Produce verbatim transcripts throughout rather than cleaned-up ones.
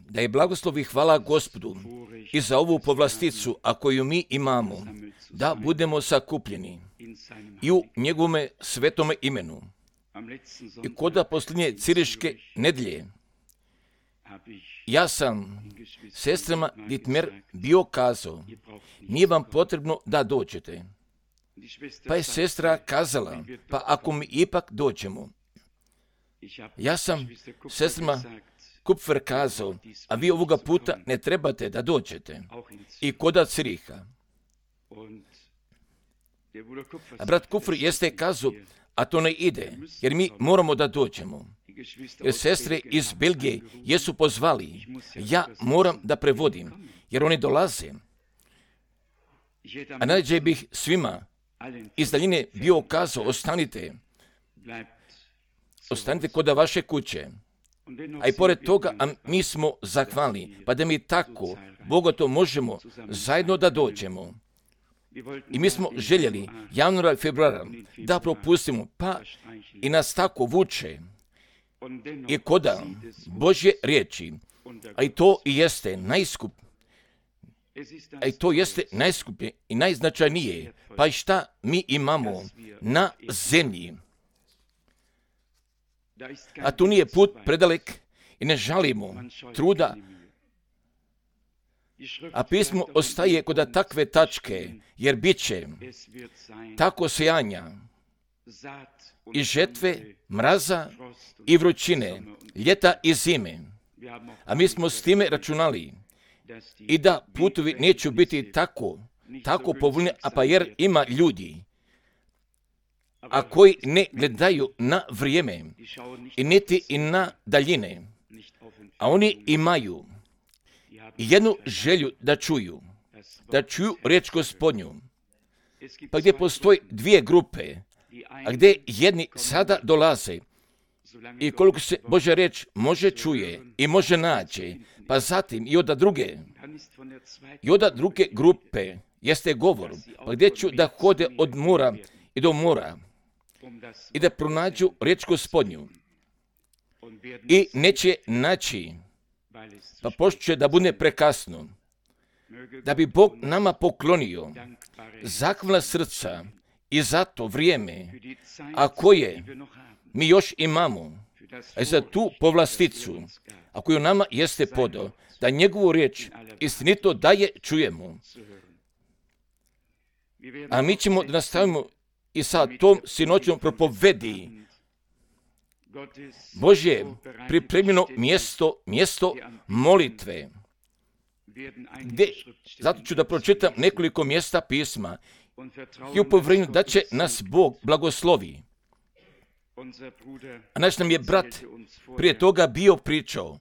Da je blagoslov i hvala Gospodu i za ovu povlasticu, a koju mi imamo, da budemo sakupljeni i u njegovome svetome imenu. I koda posljednje ciriške nedjelje, ja sam sestrama Ditmer bio kazao, nije vam potrebno da dođete. Pa je sestra kazala, pa ako mi ipak dođemo. Ja sam sestrama Kupfer kazao, a vi ovoga puta ne trebate da dođete. I koda Ciriha. A brat Kupfer jeste kazao, a to ne ide, jer mi moramo da dođemo. Jer sestre iz Belgije jesu pozvali, ja moram da prevodim, jer oni dolaze. A najđe bih svima iz daljine bio kazao, ostanite, ostanite kod vaše kuće. A i pored toga, a mi smo zahvalni, pa da mi tako, bogato možemo zajedno da dođemo. I mi smo željeli januara i februara da propustimo, pa i nas tako vuče. I koda Božje riječi, a i to i jeste najskup, a i to jeste najskuplje i najznačajnije, pa i šta mi imamo na zemlji. A tu nije put predalek i ne žalimo truda, a pismo ostaje kod takve tačke, jer bit će tako sejanja i žetve, mraza i vrućine, ljeta i zime. A mi smo s time računali i da putovi neće biti tako, tako povoljni, a pa jer ima ljudi, a koji ne gledaju na vrijeme i niti i na daljine, a oni imaju jednu želju da čuju, da čuju riječ Gospodnju. Pa gdje postoji dvije grupe, a gdje jedni sada dolaze i koliko se Božja riječ može čuje i može naći, pa zatim i od druge, i od druge grupe jeste govor, pa gdje ću da hode od mora i do mora i da pronađu riječ Gospodnju i neće naći, pa pošto da bude prekasno, da bi Bog nama poklonio zahvalna srca i za to vrijeme, a koje mi još imamo, a za tu povlasticu, a koju nama jeste podao, da njegovu riječ istinito daje čujemo. A mi ćemo da nastavimo i sa tom sinoćnom propovedi. Božje pripremljeno mjesto, mjesto molitve. Gdje, zato ću da pročitam nekoliko mjesta pisma i u povjerenju da će nas Bog blagoslovi. A naš nam je brat prije toga bio pričao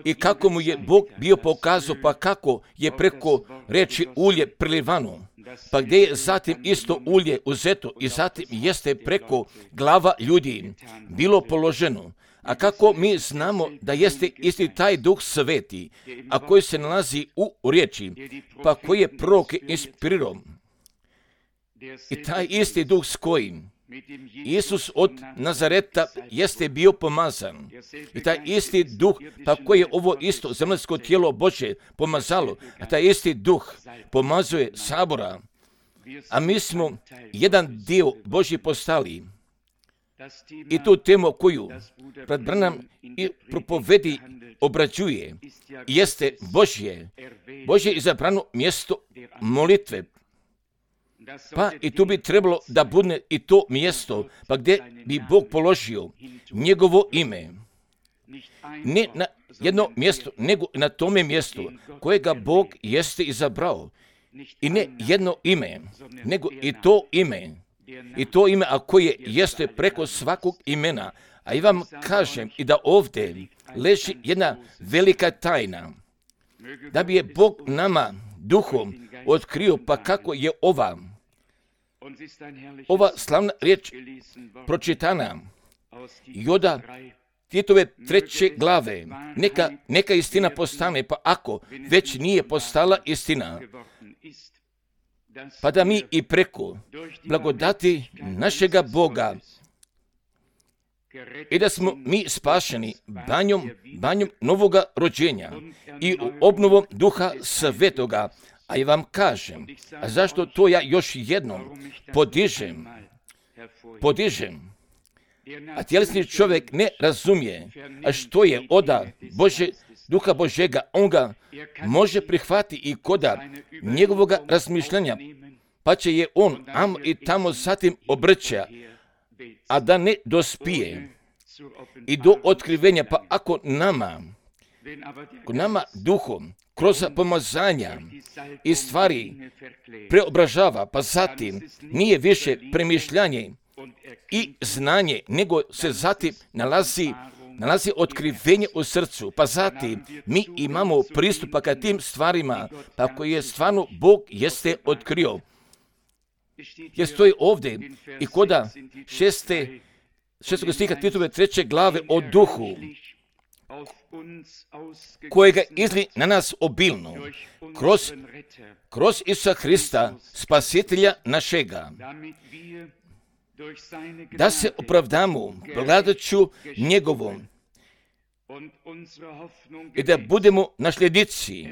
i kako mu je Bog bio pokazao, pa kako je preko reči ulje prilivano, pa gdje je zatim isto ulje uzeto i zatim jeste preko glava ljudi bilo položeno. A kako mi znamo da jeste isti taj Duh Sveti, a koji se nalazi u riječi, pa koji je proroke inspirirao. I taj isti Duh s kojim Isus od Nazareta jeste bio pomazan. I taj isti Duh, pa koji je ovo isto zemaljsko tijelo Božje pomazalo, a taj isti Duh pomazuje sabora, a mi smo jedan dio Božji postali. I tu temu koju brat Branham i propovedi obrađuje jeste Božje, Božje izabrano mjesto molitve. Pa i tu bi trebalo da bude i to mjesto, pa gdje bi Bog položio njegovo ime. Ne na jedno mjesto, nego na tome mjestu kojega Bog jeste izabrao. I ne jedno ime, nego i to ime. I to ime, a koje jeste preko svakog imena. A i vam kažem i da ovdje leži jedna velika tajna. Da bi je Bog nama duhom otkrio, pa kako je ova, ova slavna riječ pročitana i od Titove treće glave. Neka, neka istina postane, pa ako već nije postala istina, pa da mi i preko blagodati našega Boga i da smo mi spašeni banjom, banjom novoga rođenja i obnovom Duha Svetoga. A ja vam kažem, a zašto to ja još jednom podižem, podižem, a tjelesni čovjek ne razumije, a što je oda Bože, Duha Božega, on ga može prihvatiti i koda njegovoga razmišljanja, pa će je on am i tamo zatim obrća, a da ne dospije i do otkrivenja. Pa ako nama, ako nama duhom, kroz pomazanja i stvari preobražava, pa zatim nije više premišljanje i znanje, nego se zatim nalazi, nalazi otkrivenje u srcu, pa zatim mi imamo pristupa ka tim stvarima, pa koje je stvarno Bog jeste otkrio. Jer stoji ovdje i koda šeste, šestog stiha Titove treće glave o duhu, kojega izli na nas obilno, kroz, kroz Isusa Hrista, spasitelja našega, da se opravdamo blagodaću njegovom i da budemo nasljednici,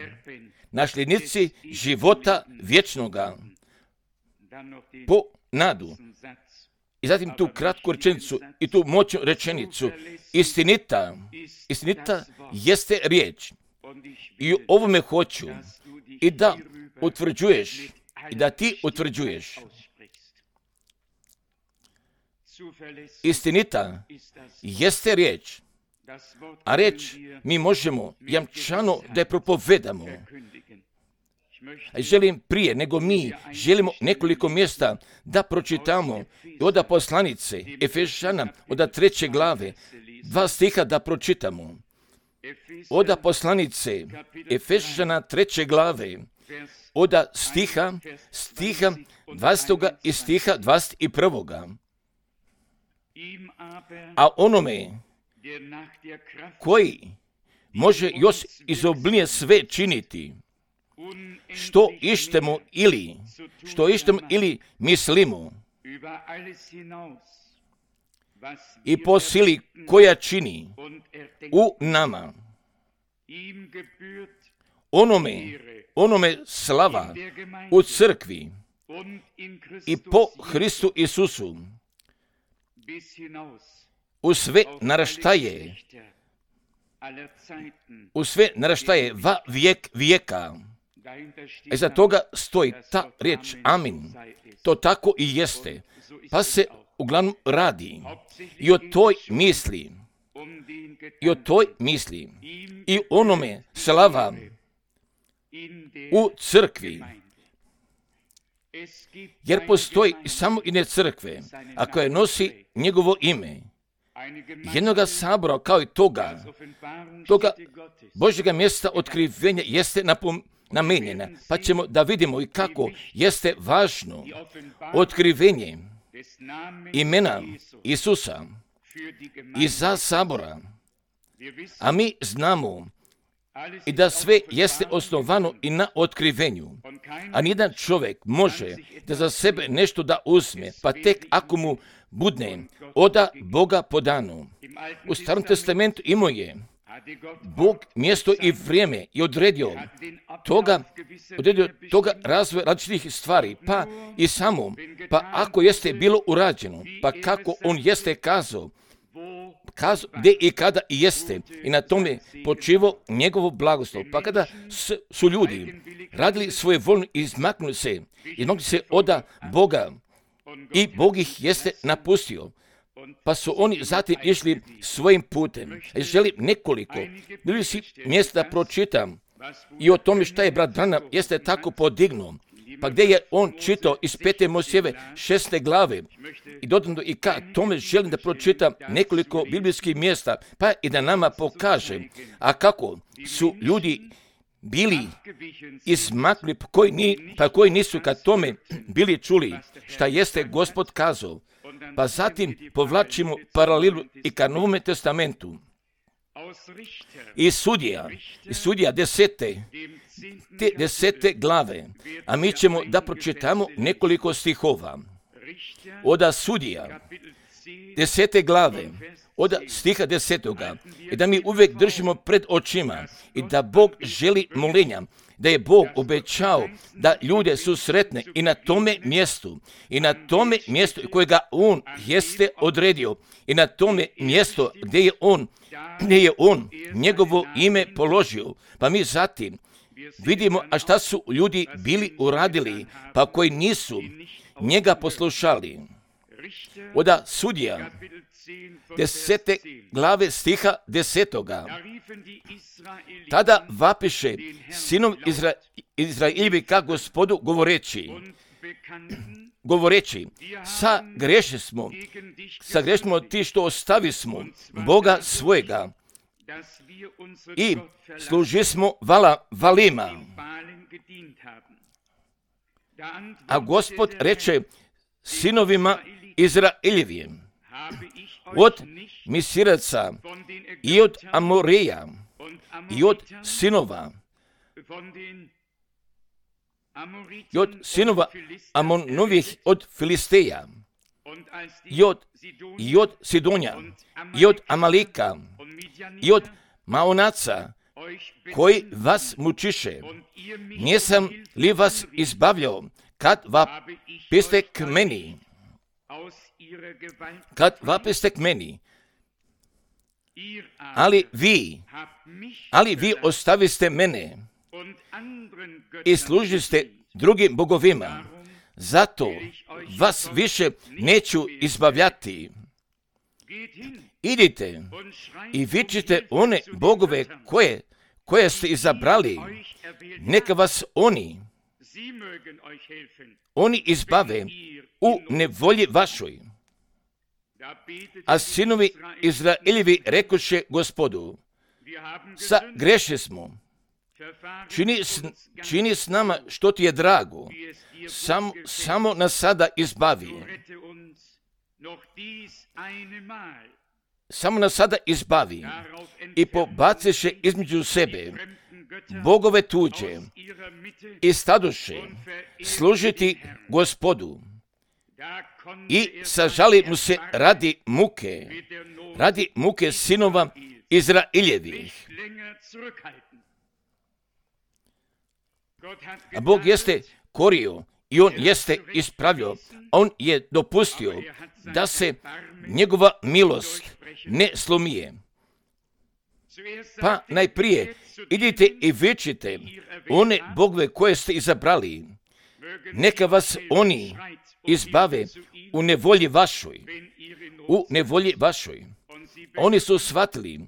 nasljednici života vječnoga, po nadu. I zatim tu kratku rečenicu i tu moćnu rečenicu. Istinita, istinita jeste riječ. I u ovome hoću i da utvrđuješ, i da ti utvrđuješ. Istinita jeste riječ, a riječ mi možemo jamčano da je propovedamo. Želim prije nego mi želimo nekoliko mjesta da pročitamo i oda poslanice Efešana, oda treće glave, dva stiha da pročitamo. Oda poslanice Efešana treće glave, oda stiha, stiha dvadesetoga i stiha dvadeset prvoga. A onome koji može još izobilnije sve činiti, što ištemo ili, što ištemo ili mislimo, i po sili koja čini u nama, onome, onome slava u crkvi i po Hristu Isusu, u sve naraštaje, u sve naraštaje va vijek vijeka. E za toga stoji ta riječ amin. To tako i jeste. Pa se uglavnom radi i o toj misli, i o toj misli, i onome slava u crkvi. Jer postoji samo jedne crkve, a koja nosi njegovo ime. Jednoga sabora kao i toga, toga Božjega mjesta otkrivenja jeste napom, namenjena. Pa ćemo da vidimo i kako jeste važno otkrivenje imena Isusa i za sabora. A mi znamo i da sve jeste osnovano i na otkrivenju. A nijedan čovjek može da za sebe nešto da uzme, pa tek ako mu budne oda Boga podano. U Starom testamentu imao je Bog mjesto i vrijeme i odredio toga, odredio toga razvoja različitih stvari, pa i samo, pa ako jeste bilo urađeno, pa kako on jeste kazao, kazao gdje i kada i jeste, i na tome počivo njegovo blagoslov. Pa kada su ljudi radili svoje voljno i izmaknuli se, izmaknuli se oda Boga, i Bog ih jeste napustio, pa su oni zatim išli svojim putem. Želim nekoliko bili si mjesta da pročitam i o tome šta je brat Branham jeste tako podignuo, pa gdje je on čitao iz pete Mojsijeve šeste glave i dodano i ka tome želim da pročitam nekoliko biblijskih mjesta, pa i da nama pokaže, a kako su ljudi bili izmakli, pa koji, ni, pa koji nisu kad tome bili čuli šta jeste Gospod kazao. Pa zatim povlačimo paralelu i ka Novome testamentu. I sudija, i sudija desete, te desete glave, a mi ćemo da pročitamo nekoliko stihova. Oda sudija, desete glave, od stiha desetoga i da mi uvijek držimo pred očima i da Bog želi molenja, da je Bog obećao da ljude su sretne i na tome mjestu, i na tome mjestu kojega On jeste odredio, i na tome mjesto gdje je On, gdje je On njegovo ime položio. Pa mi zatim vidimo, a šta su ljudi bili uradili, pa koji nisu njega poslušali. Oda sudija, desete glave stiha desetoga. Tada vapiše sinom Izra, Izrailjevi ka Gospodu govoreći, govoreći, sa greši smo, sa greši smo ti što ostavi smo Boga svojega i služi smo vala valima. A Gospod reče sinovima Izraeljevim, od Misiraca i od Amoreja i od sinova i od sinova Amonovih od Filisteja i od, i od Sidonja i od Amalika i od Maonaca koji vas mučiše. Nisam li vas izbavljao kad vapiste k meni? Kad vapiste k meni? Ali vi, ali vi ostaviste mene i služiste drugim bogovima. Zato vas više neću izbavljati. Idite i vičite one bogove koje, koje ste izabrali. Neka vas oni, oni izbave u nevolji vašoj. A sinovi Izraeljevi rekoše Gospodu, sa greši smo. Čini s, čini s nama što ti je drago. Sam, samo nas sada izbavi. Samo nas sada izbavi. I pobaciše između sebe bogove tuđe i stadoše služiti Gospodu. I sažali mu se radi muke, radi muke sinova Izraeljevih. A Bog jeste korio i On jeste ispravio. On je dopustio da se njegova milost ne slomije. Pa najprije idite i vičite one bogove koje ste izabrali. Neka vas oni izbave u nevolji vašoj. U nevolji vašoj. Oni su shvatili,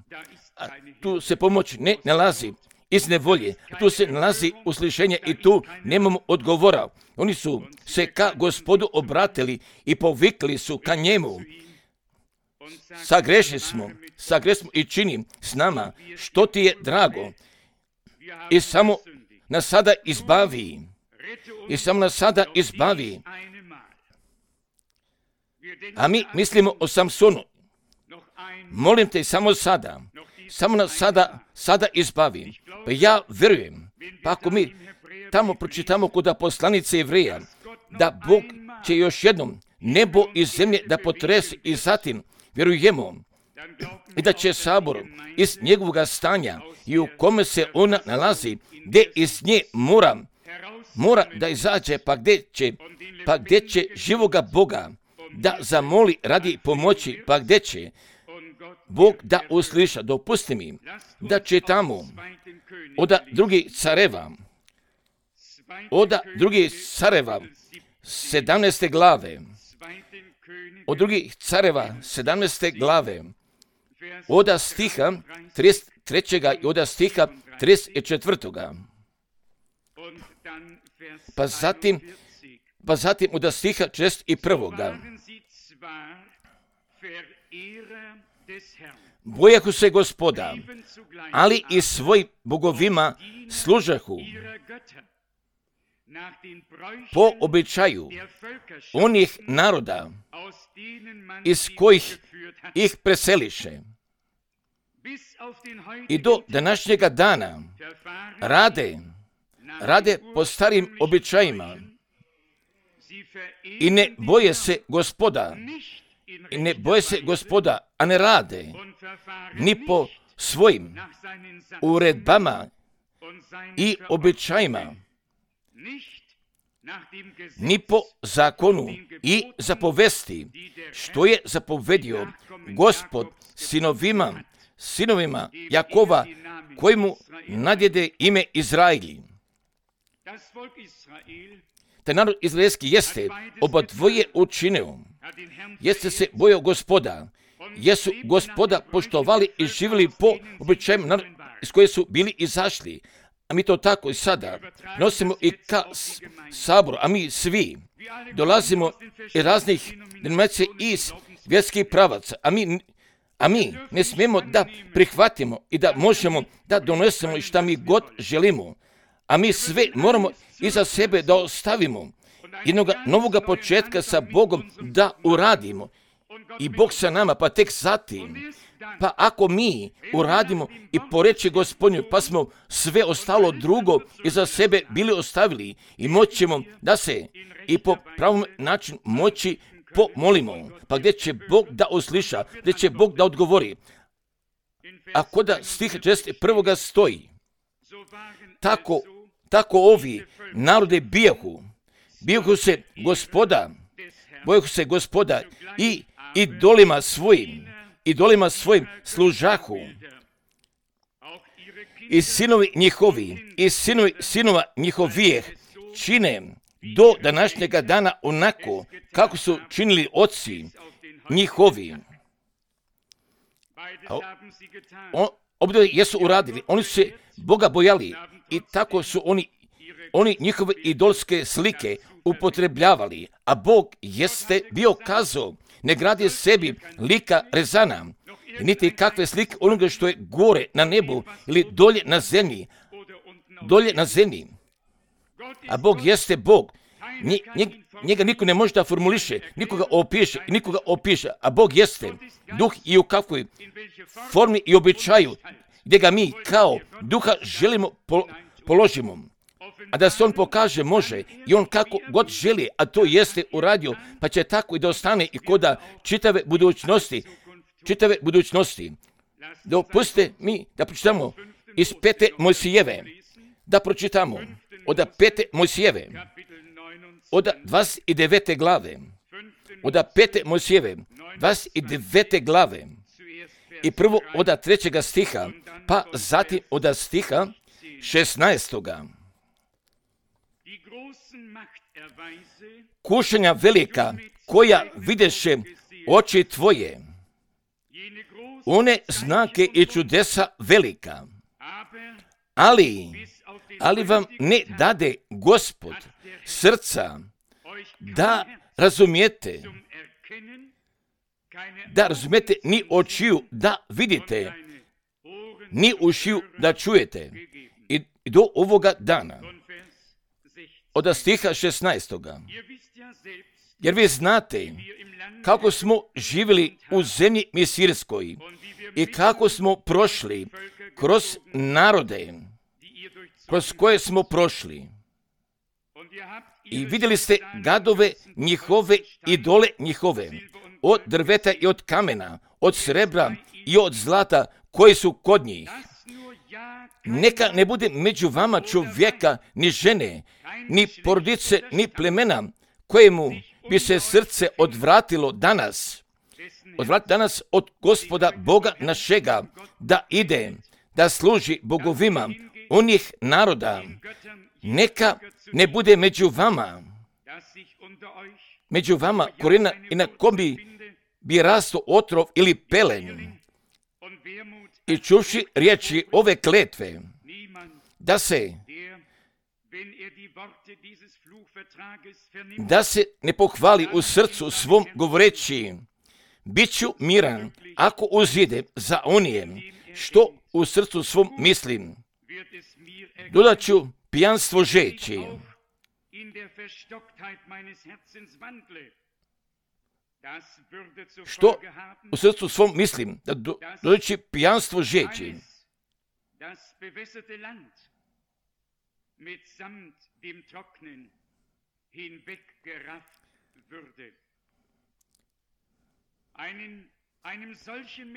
a tu se pomoć ne nalazi iz nevolje, tu se nalazi uslišenje i tu nemamo odgovora. Oni su se ka Gospodu obratili i povikli su ka njemu. Sagreši smo, sagreši smo i čini s nama što ti je drago. I samo nas sada izbavi. I samo nas sada izbavi. A mi mislimo o Samsonu. Molim te samo sada, samo nas sada, sada izbavi. Pa ja vjerujem, pa ako mi tamo pročitamo kod poslanice Jevreja, da Bog će još jednom nebo i zemlje da potresi i zatim vjerujemo i da će sabor iz njegovog stanja i u kome se ona nalazi, gdje iz nje mora, mora da izađe, pa gdje će, pa gdje će živoga Boga da zamoli radi pomoći, pa gdje će Bog da usliša. Dopusti mi da čitamo od drugih careva, od drugih careva sedamnaeste glave, od drugih careva sedamnaeste glave, od stiha trideset trećega i od stiha trideset četvrtoga. Pa zatim, pa zatim od stiha četrdeset prvoga. Bojahu se Gospoda, ali i svojim bogovima služahu po običaju onih naroda iz kojih ih preseliše. I do današnjega dana rade, rade po starim običajima i ne boje se Gospoda i ne boje se Gospoda, a ne rade ni po svojim uredbama i običajima, ni po zakonu i zapovesti, što je zapovedio Gospod sinovima, sinovima Jakova, kojemu nadjede ime Izraili. Taj narod izraelski jeste oba dvoje učinio, jeste se bojao Gospoda, jesu Gospoda poštovali i živjeli po običajima iz koje su bili izašli. A mi to tako i sada nosimo i ka saboru, a mi svi dolazimo iz raznih denominacija iz vjerskih pravaca, a mi, a mi ne smijemo da prihvatimo i da možemo da donesemo i šta mi god želimo, a mi sve moramo iza sebe da ostavimo, jednog novoga početka sa Bogom da uradimo i Bog sa nama, pa tek zatim. Pa ako mi uradimo i po reći Gospodnju, pa smo sve ostalo drugo iza sebe bili ostavili i moćemo da se i po pravom načinu moći pomolimo, pa gdje će Bog da usliša, gdje će Bog da odgovori. Ako da stih šesnaest prvoga stoji, tako, tako ovi narode bijahu, bijahu se Gospoda, bojahu se Gospoda i idolima svojim, idolima svojim služahu, i sinovi njihovi, i sinovi sinova njihovijeh čine do današnjega dana onako kako su činili oci njihovi. Obdje jesu uradili, oni su se Boga bojali i tako su oni, oni njihove idolske slike upotrebljavali, a Bog jeste bio kazao, ne gradi sebi lika rezana, niti kakve slike onoga što je gore na nebu ili dolje na zemlji, dolje na zemlji. A Bog jeste Bog. Njega, njega niko ne može da formuliše, nikoga opiše, nikoga opiše, a Bog jeste duh i u kakvoj formi i običaju, gdje ga mi kao duha želimo položimo. A da se on pokaže može i on kako god želi, a to jeste uradio, pa će tako i da ostane i koda čitave budućnosti, čitave budućnosti. Dopustite mi da pročitamo iz pete Mojsijeve, da pročitamo od pete Mojsijeve, od dvadeset devete glave, od pete Mojsijeve, dvadeset devete glave, i prvo od trećega stiha, pa zatim od stiha šesnaestoga. Kušanja velika koja videše oči tvoje, one znake i čudesa velika, ali, ali vam ne dade Gospod srca da razumijete, da razumijete ni očiju da vidite, ni ušiju da čujete. I do ovoga dana, od stiha šesnaestoga. Jer vi znate kako smo živjeli u zemlji Misirskoj i kako smo prošli kroz narode, kroz koje smo prošli. I vidjeli ste gadove njihove, idole njihove, od drveta i od kamena, od srebra i od zlata koji su kod njih. Neka ne bude među vama čovjeka, ni žene, ni porodice, ni plemena, kojemu bi se srce odvratilo danas, odvratilo danas od Gospoda Boga našega, da ide, da služi bogovima onih naroda. Neka ne bude među vama, među vama korijena i na kom bi, bi rasto otrov ili pelen. I čuvši riječi ove kletve, da se da se ne pohvali u srcu svom govoreći, bit ću miran ako uzidem za onijem što u srcu svom mislim. Dodat ću pijanstvo žeći. Što u srcu svom mislim, da do, doći pijanstvo žeći.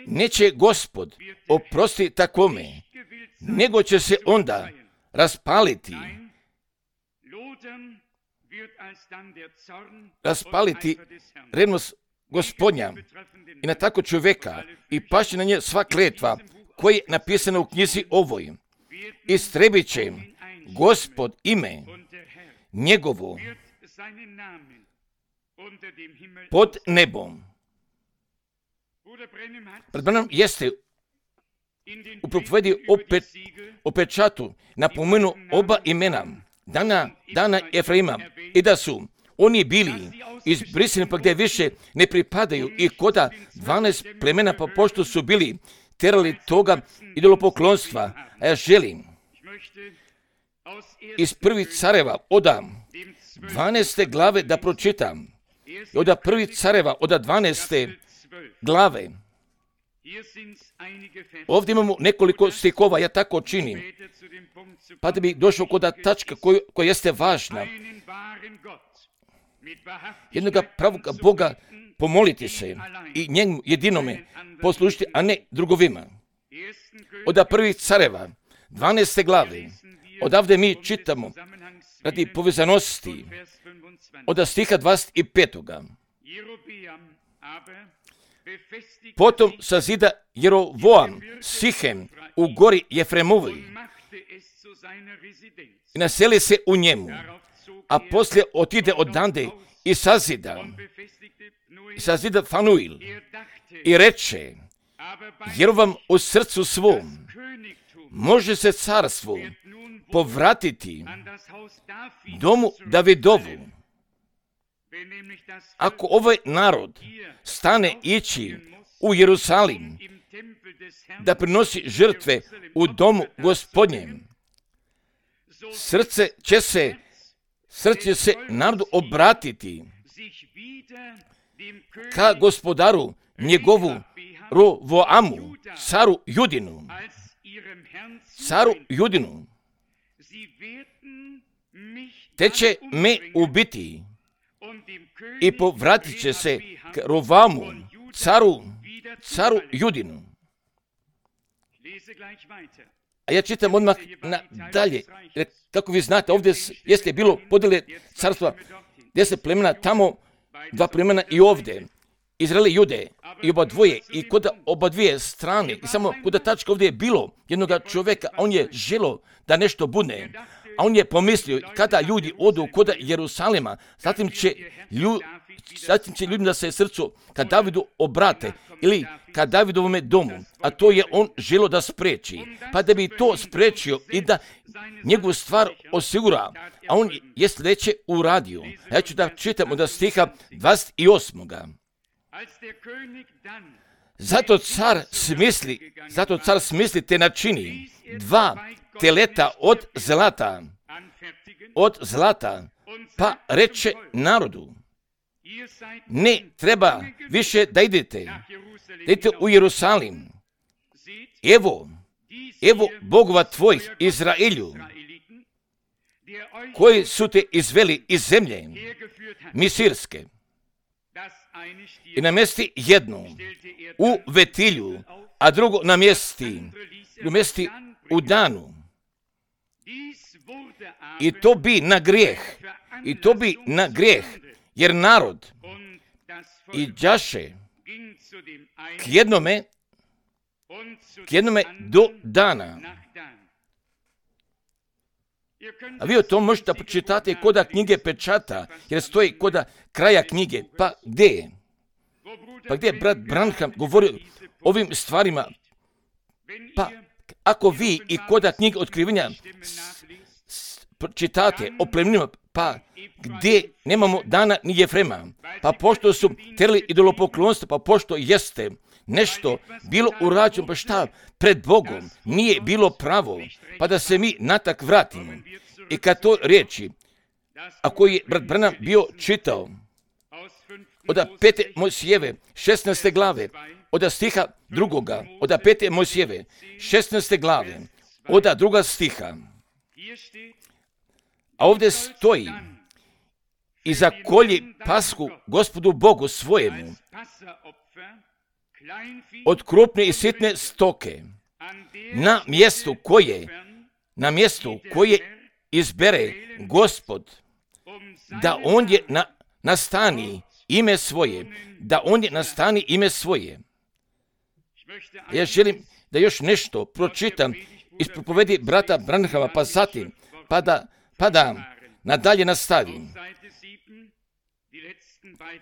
Neće Gospod oprosti takvome, nego će se onda raspaliti, raspaliti revnost Gospodnja i na tako čovjeka i paši na nje sva kletva koja je napisana u knjizi ovoj. Istrebit će Gospod ime njegovo pod nebom. Brat Branham jeste u propovedi opet o pečatu napomenu oba imena Dana, Dana Efraima i da su oni bili izbrisani pa gdje više ne pripadaju i koda dvanaest plemena pa pošto su bili terali toga idolopoklonstva. A ja želim iz prvih careva oda dvanaeste glave da pročitam. I oda prvih careva oda dvanaeste glave. Ovdje imamo nekoliko stihova, ja tako činim. Pa da bi došao kod tačka koja, koja jeste važna. Jednoga pravog Boga pomoliti se i njemu jedinome poslušiti, a ne drugovima. Oda prvih careva, dvanaeste glave, odavde mi čitamo radi povezanosti od stiha dvadeset petoga. Potom sazida Jerovoam Sihem u gori Jefremovi i naseli se u njemu, a poslije otide odande i sazida, i sazida Fanuil i reče Jerovam u srcu svom, može se carstvo povratiti domu Davidovu. Ako ovaj narod stane ići u Jerusalim da prinosi žrtve u domu Gospodnjem, srce će se, srce će se narodu obratiti ka gospodaru njegovu Rovoamu, caru Judinu, caru Judinu, te će me ubiti i povratit će se k Rovoamu, caru, caru Judinu. A ja čitam odmah na dalje. Kako vi znate, ovdje jeste bilo podjele carstva, deset plemena, tamo dva plemena i ovdje. Izrael i Jude i oba dvoje i kod oba dvije strane. I samo kod tačka ovdje je bilo jednoga čovjeka, a on je želio da nešto bude. A on je pomislio, kada ljudi odu kod Jerusalima, zatim će, lju, zatim će ljudima da se srcu kad Davidu obrate ili kad Davidovome domu, a to je on želio da spreči. Pa da bi to sprečio i da njegovu stvar osigura, a on je sljedeće uradio. Ja ću da čitam od stiha dvadeset osmoga. Zato car smisli, zato car smisli te načini dva teleta od zlata, od zlata, pa reče narodu, ne treba više da idete, da idete u Jerusalim. Evo, evo Bogova tvojih Izraelju, koji su te izveli iz zemlje Misirske i namjesti jednu u Vetilju, a drugo namjesti, namjesti u Danu. I to bi na grijeh, i to bi na grijeh, jer narod iđaše k jednome, k jednome do Dana. A vi o tom možete počitati koda knjige pečata, jer stoji koda kraja knjige. Pa gdje je? Pa gdje je brat Branham govorio ovim stvarima? Pa ako vi i koda knjige otkrivenja čitate o plemenima, pa gdje nemamo Dana ni Jefrema, pa pošto su terali idolopoklonstvo, pa pošto jeste nešto bilo urađeno, pa šta pred Bogom nije bilo pravo, pa da se mi natak vratimo. I kad to riječi, ako je brat Branham bio čitao od pete Mojsijeve, šesnaeste glave, od stiha drugoga, od pete Mojsijeve, šesnaeste glave, od druga stiha, a ovdje stoji, i zakolji pasku Gospodu Bogu svojemu od krupne i sitne stoke na mjestu koje, na mjestu koje izbere Gospod, da on je na, nastani ime svoje, da on je nastani ime svoje. Ja želim da još nešto pročitam iz propovedi brata Branhama, pa zatim, pa da, pa da nadalje nastavim.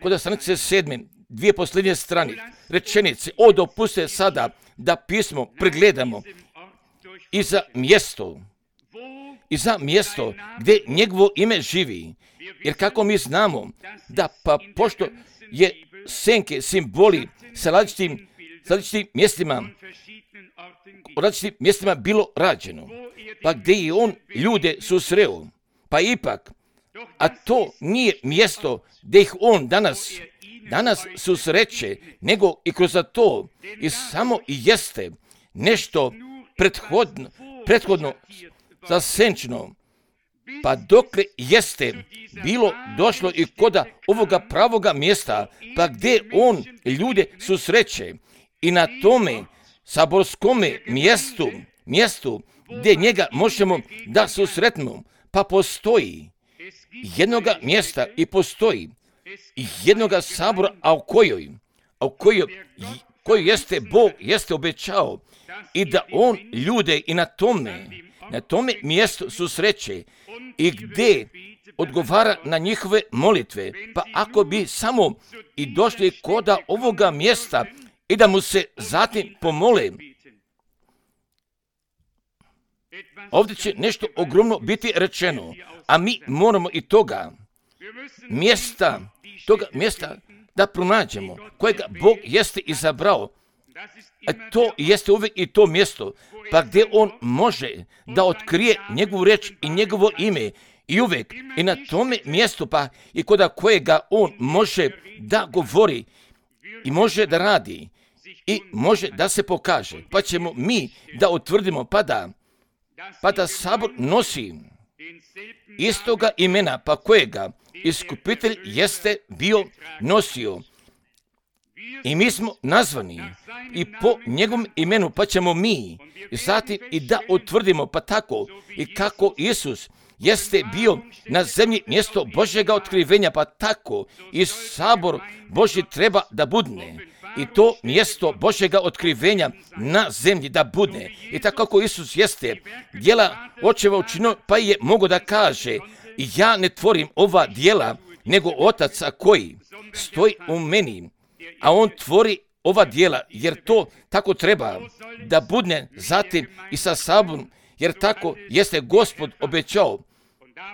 Kod stranice sedme, dvije posljednje strane, rečenice, o dopuste sada da pismo pregledamo i za mjesto, i za mjesto gdje njegovo ime živi. Jer kako mi znamo da pa pošto je senke simboli sa različitim, sa različitim mjestima, u različitim mjestima bilo rađeno, pa gdje je on ljude susreo, pa ipak, a to nije mjesto gdje ih on danas, danas susreće, nego i kroz to i samo i jeste nešto prethodno, prethodno zasenčeno, pa dokle jeste bilo došlo i koda ovoga pravoga mjesta, pa gdje on ljude susreće i na tome saborskome mjestu, mjestu gdje njega možemo da susretnemo, pa postoji jednoga mjesta i postoji jednoga sabora, a u kojoj, a u kojoj, koju jeste Bog jeste obećao i da on ljude i na tome, na tome mjestu susreće i gdje odgovara na njihove molitve. Pa ako bi samo i došli koda ovoga mjesta i da mu se zatim pomole, ovdje će nešto ogromno biti rečeno, a mi moramo i toga mjesta, toga mjesta da pronađemo, kojega Bog jeste izabrao. A to jeste uvijek i to mjesto, pa gdje on može da otkrije njegovu reč i njegovo ime i uvijek i na tome mjestu, pa i koda kojega on može da govori i može da radi i može da se pokaže, pa ćemo mi da utvrdimo, pa da, pa da sabor nosi istoga imena, pa kojega iskupitelj jeste bio nosio. I mi smo nazvani i po njegovom imenu, pa ćemo mi zatim i da utvrdimo, pa tako i kako Isus jeste bio na zemlji mjesto Božjega otkrivenja, pa tako i sabor Božji treba da budne. I to mjesto Božjega otkrivenja na zemlji da budne. I tako kako Isus jeste djela očeva učinio, pa je mogo da kaže, ja ne tvorim ova djela, nego Otac koji stoji u meni, a on tvori ova djela, jer to tako treba da budne zatim i sa saborom, jer tako jeste Gospod obećao.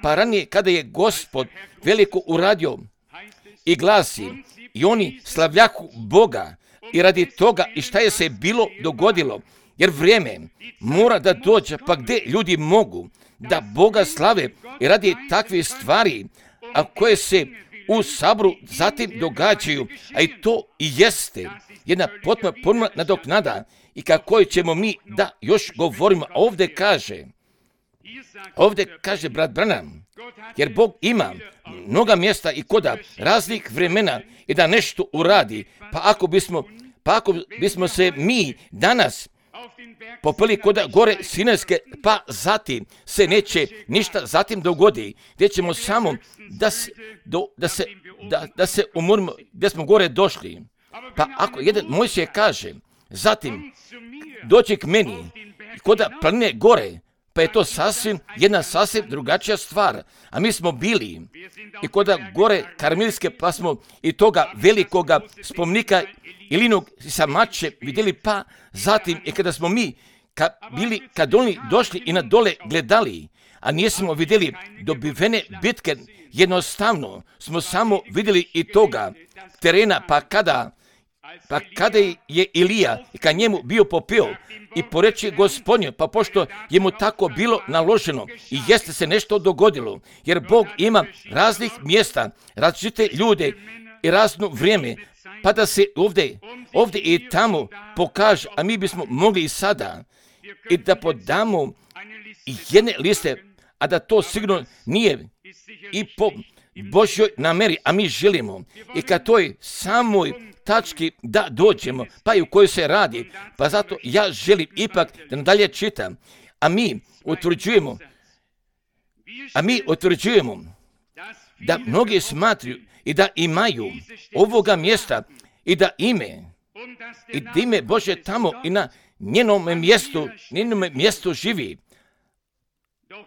Pa ranije kada je Gospod veliko uradio i glasi, i oni slavljaku Boga i radi toga i šta je se bilo dogodilo, jer vrijeme mora da dođe, pa gdje ljudi mogu da Boga slave i radi takve stvari, a koje se u saboru zatim događaju, a i to i jeste jedna potpuno potpuno nadoknada i kako ćemo mi da još govorimo. A ovdje kaže, ovdje kaže brat Branham, jer Bog ima mnoga mjesta i koda raznih vremena i da nešto uradi, pa ako bismo, pa ako bismo se mi danas popeli koda gore Sinajske, pa zatim se neće ništa zatim dogodi, gdje ćemo samo da se, do, da se, da, da se umorimo gdje smo gore došli. Pa ako jedan Mojsije kaže, zatim doći k meni koda planine gore, pa je to sasvim jedna sasvim drugačija stvar. A mi smo bili i koda gore Karmelske, pa smo i toga velikoga spomnika Ilinog sa mače vidjeli, pa zatim i kada smo mi ka, bili, kad oni došli i na dole gledali, a nismo vidjeli dobivene bitke, jednostavno smo samo vidjeli i toga terena, pa kada Pa kada je Ilija i kad njemu bio popio i po reči Gospodnje, pa pošto je mu tako bilo naloženo i jeste se nešto dogodilo, jer Bog ima raznih mjesta, različite ljude i razno vrijeme, pa da se ovdje, ovdje i tamo pokaže, a mi bismo mogli i sada i da podamo jedne liste, a da to sigurno nije i po Božjoj nameri, a mi želimo i ka toj samoj tački da dođemo, pa i u kojoj se radi. Pa zato ja želim ipak da nadalje čitam, a mi utvrđujemo, a mi utvrđujemo da mnogi smatruju i da imaju ovoga mjesta i da ime, i da ime Bože tamo i na njenom mjestu, njenom mjestu živi.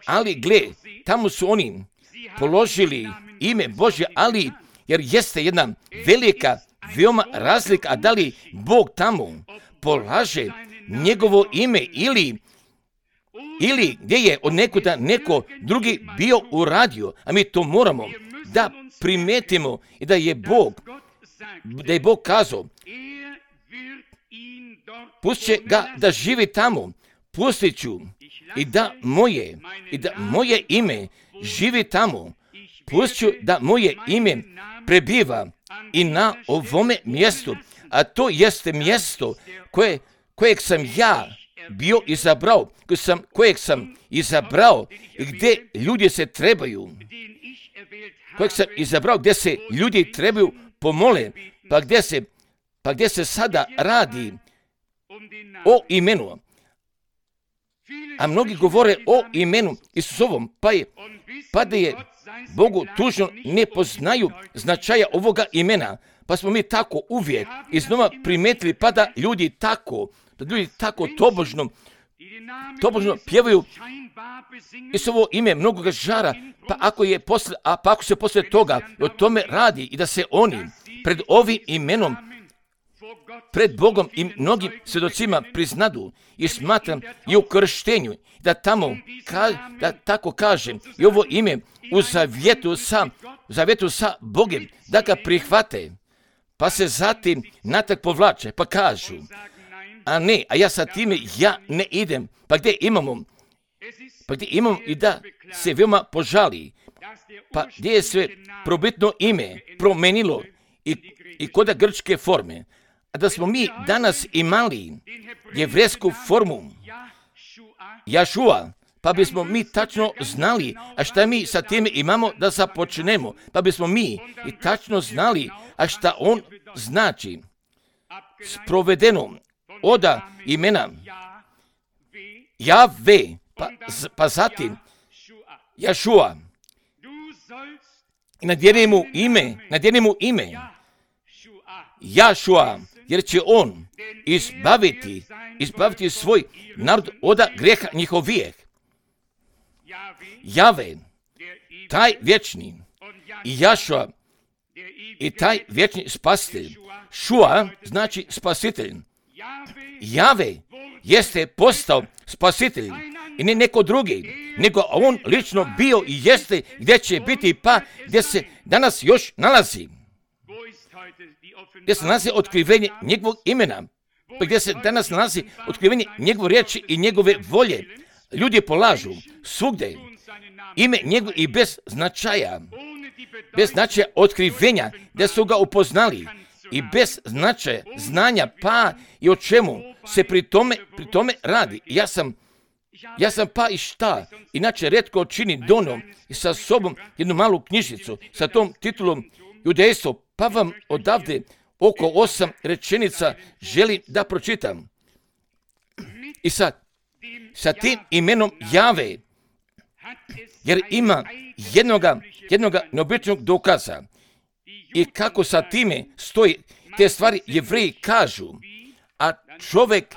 Ali gle, tamo su oni položili ime Bože, ali jer jeste jedna velika, veoma razlika, a da li Bog tamo polaže njegovo ime ili ili gdje je od nekuda neko drugi bio uradio, a mi to moramo da primetimo i da je Bog, da je Bog kazao, pustit će ga da živi tamo, pustit ću i da moje, i da moje ime živi tamo, pustit ću da moje ime prebiva i na ovome mjestu, a to jeste mjesto koje, kojeg sam ja bio izabrao, kojeg sam, kojeg sam izabrao i gdje ljudi se trebaju, kojeg sam izabrao gdje se ljudi trebaju pomole, pa gdje se, pa gdje se sada radi o imenu. A mnogi govore o imenu Isusovom, pa, je, pa da je Bogu tužno ne poznaju značaja ovoga imena, pa smo mi tako uvijek iznova primetili, pa da ljudi tako, da ljudi tako tobožno, tobožno pjevaju Isusovo ime mnogoga žara, pa ako, je posle, a pa ako se poslije toga o tome radi i da se oni pred ovim imenom, pred Bogom i mnogim svjedocima priznadu i smatram i u krštenju, da tamo, ka, da tako kažem, i ovo ime u zavjetu sa, zavjetu sa Bogem, da ga prihvate, pa se zatim natrag povlače, pa kažu, a ne, a ja sa time ja ne idem, pa gdje imamo, pa gdje imamo i da se veoma požali, pa gdje je sve probitno ime promenilo i, i koda grčke forme, a da smo mi danas imali jevresku formu Jašua, pa bismo mi tačno znali, a šta mi sa time imamo da započnemo, pa bismo mi i tačno znali, a šta on znači. Sprovedeno oda imena Jahve, pa, pa zatim Jašua. I nadjeni mu ime, nadjeni mu ime Jašua, jer će on izbaviti, izbaviti svoj narod od grijeha njihovijeg. Jahve, taj vječni, i Jašua, i taj vječni spasitelj. Šua znači spasitelj. Jahve jeste postao spasitelj i ne neko drugi, nego on lično bio i jeste gdje će biti, pa gdje se danas još nalazi. Gdje se nalazi otkrivenje njegovog imena, pa gdje se danas nalazi otkrivenje njegove riječi i njegove volje. Ljudi polažu svugdje ime njegov i bez značaja, bez značaja otkrivenja, gdje su ga upoznali i bez značaja znanja, pa i o čemu se pri tome, pri tome radi. Ja sam, ja sam pa i šta, inače retko čini donom i sa sobom jednu malu knjižicu sa tom titulom Judejstvo, pa vam odavde oko osam rečenica želim da pročitam. I sad, sa tim imenom Jahve, jer ima jednoga, jednoga neobičnog dokaza i kako sa time stoji, te stvari Jevreji kažu, a čovjek,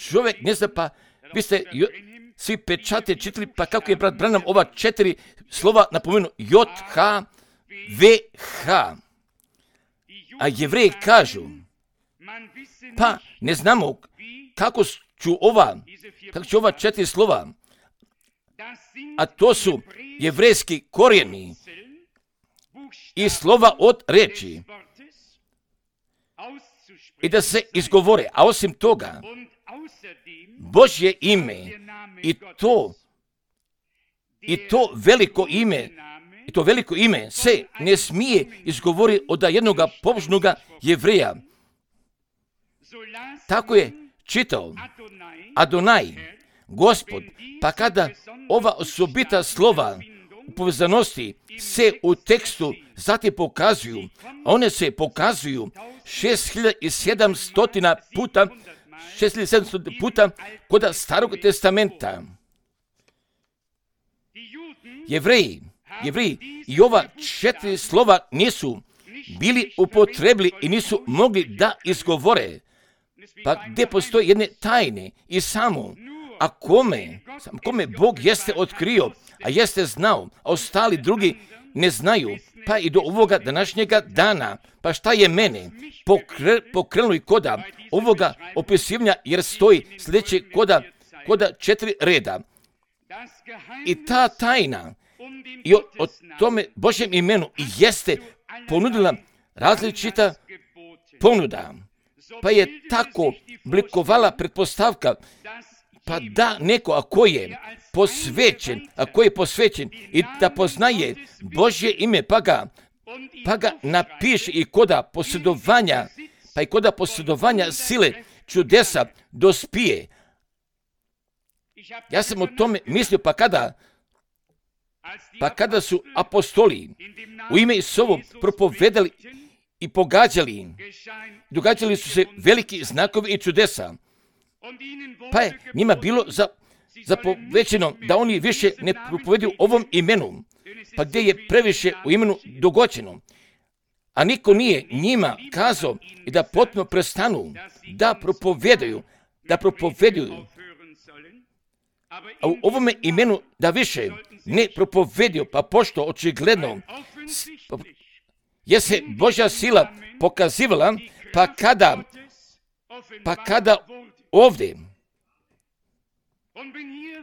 čovjek ne zna, pa vi ste jo, svi pečate čitali, pa kako je brat Branham ova četiri slova napomenu J H V H. A Jevreji kažu, pa ne znamo kako ću ova, kako ću ova četiri slova, a to su jevrejski korijeni i slova od reči i da se izgovore, a osim toga Božje ime i to i to veliko ime i to veliko ime se ne smije izgovoriti od jednog pobožnoga Jevreja. Tako je čitao Adonai, Gospod, pa kada ova osobita slova povezanosti se u tekstu zatim pokazuju. One se pokazuju šest hiljada sedamsto puta, šest hiljada sedamsto puta kod Starog testamenta. Jevreji, jevreji i ova četiri slova nisu bili upotrebili i nisu mogli da izgovore. Pa gdje postoje jedne tajne i samo, a kome, kome Bog jeste otkrio, a jeste znao, a ostali drugi ne znaju, pa i do ovoga današnjega dana. Pa šta je mene pokre, pokrenulo i koda ovoga opisivanja, jer stoji sljedeće koda, koda četiri reda. I ta tajna i o, o tome Božjem imenu jeste ponudila različita ponuda. Pa je tako blikovala pretpostavka, pa da neko ako je posvećen, ako je posvećen i da poznaje Božje ime, pa ga, pa ga napiše i koda posjedovanja, pa i koda posjedovanja sile čudesa dospije. Ja sam o tome mislio, pa kada, pa kada su apostoli u ime Isusovo propovedali i pogađali, događali su se veliki znakovi i čudesa. Pa je njima bilo za, zapovećeno da oni više ne propovedaju ovom imenu, pa gdje je previše u imenu dogođeno. A niko nije njima kazao i da potpuno prestanu da propovedaju, da propovedaju. A u ovome imenu da više ne propovedio, pa pošto očigledno je se Božja sila pokazivala, pa kada, pa kada ovdje,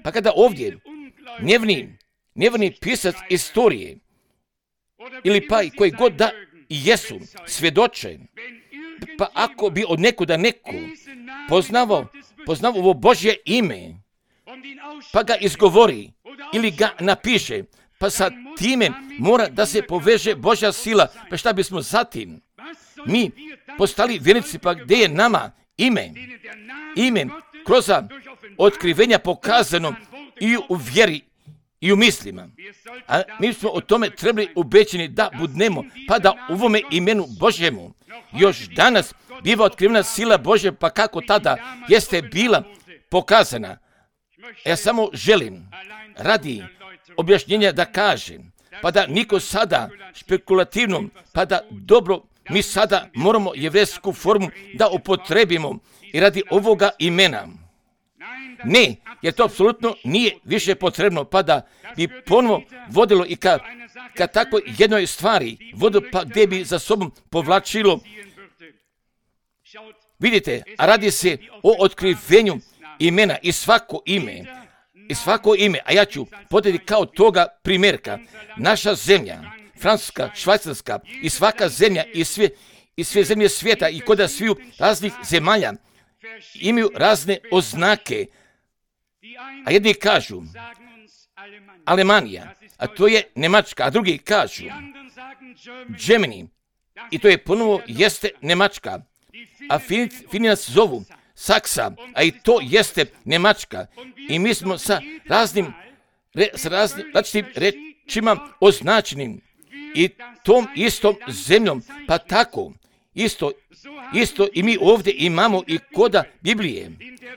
pa kada ovdje nevni, nevni pisac istorije, ili pa i koji god da jesu, svjedoče, pa ako bi od nekuda neko poznavao, poznavao ovo Božje ime, pa ga izgovori ili ga napiše, pa sa time mora da se poveže Božja sila. Pa šta bismo zatim? Mi postali vjernici, pa gdje je nama ime? Ime kroz otkrivenja pokazano i u vjeri i u mislima. A mi smo o tome trebali ubećeni da budnemo, pa da u ovome imenu Božjemu još danas biva otkrivena sila Božja, pa kako tada jeste bila pokazana. Ja samo želim radi objašnjenja da kažem, pa da niko sada špekulativno, pa da dobro mi sada moramo jevrejsku formu da upotrebimo i radi ovoga imena. Ne, jer to apsolutno nije više potrebno, pa da bi ponovo vodilo i ka, ka tako jednoj stvari, vodilo pa gdje bi za sobom povlačilo. Vidite, a radi se o otkrivenju imena i svako ime, i svako ime, a ja ću podati kao toga primjerka. Naša zemlja, Francuska, Švajcarska i svaka zemlja i sve, i sve zemlje svijeta i kod sviju raznih zemalja imaju razne oznake, a jedni kažu Alemanija, a to je Njemačka, a drugi kažu Germany, i to je ponovo jeste Njemačka, a Fini nas zovu Saksa, a i to jeste Njemačka. I mi smo sa raznim, re, sa raznim različitim rečima označenim i tom istom zemljom, pa tako, isto, isto i mi ovdje imamo i koda Biblije.